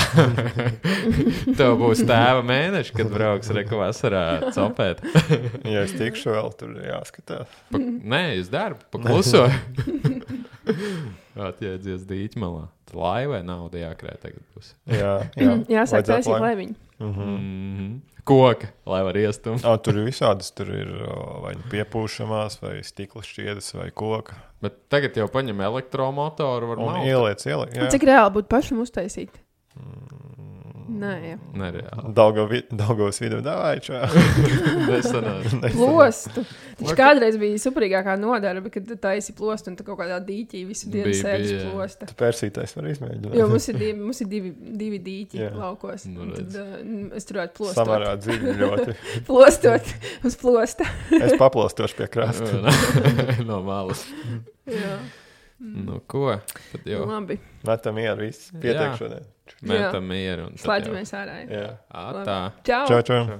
Tev būs tēva mēneši, kad brauks reku vasarā copēt. Ja es tikšu vēl, tur ir jāskatās. Pa, nē, uz darbu, pakluso. Atjēdzies dīķi malā. Tā laivai nauda jākrē tagad būs. Jā, jā. Jāsāk Vajadzētu taisīt lai- lēviņu. Mhm. Mm -hmm. Koka, lai var iestumt. Ā, tur ir visādas, tur ir o, vai nu piepūšamās, vai stikla šķiedes, vai koka. Bet tagad jau paņem elektromotoru, var Un malt. ieliec, ieliec. Un cik reāli būtu pašam uztaisīt? Nē, jā. Nereāli. Daugavas vidu dāvājušā. Nesanāca. Plostu. Taču kādreiz bija superīgākā nodarbe, kad tu taisi plostu un tu kaut kādā dīķī visu dienu Bija, sēdi uz bija, jā. plosta. Persītais var izmēģināt. Jo mums ir divi, mums ir divi, divi dīķi Jā. laukos. Nu, Un redz. tad uh, es turētu plostot. Samērā dziļi ļoti. Plostot uz plosta. Es paplastošu pie krasta. No malas. Jā, Nu, ko? Tad jau labi. Metam mieru, viss pietiek Jā. šodien. metam mieru. un tad jau- Slēdzamies ārā. Jā. Ā, tā. Čau! Čau, čau.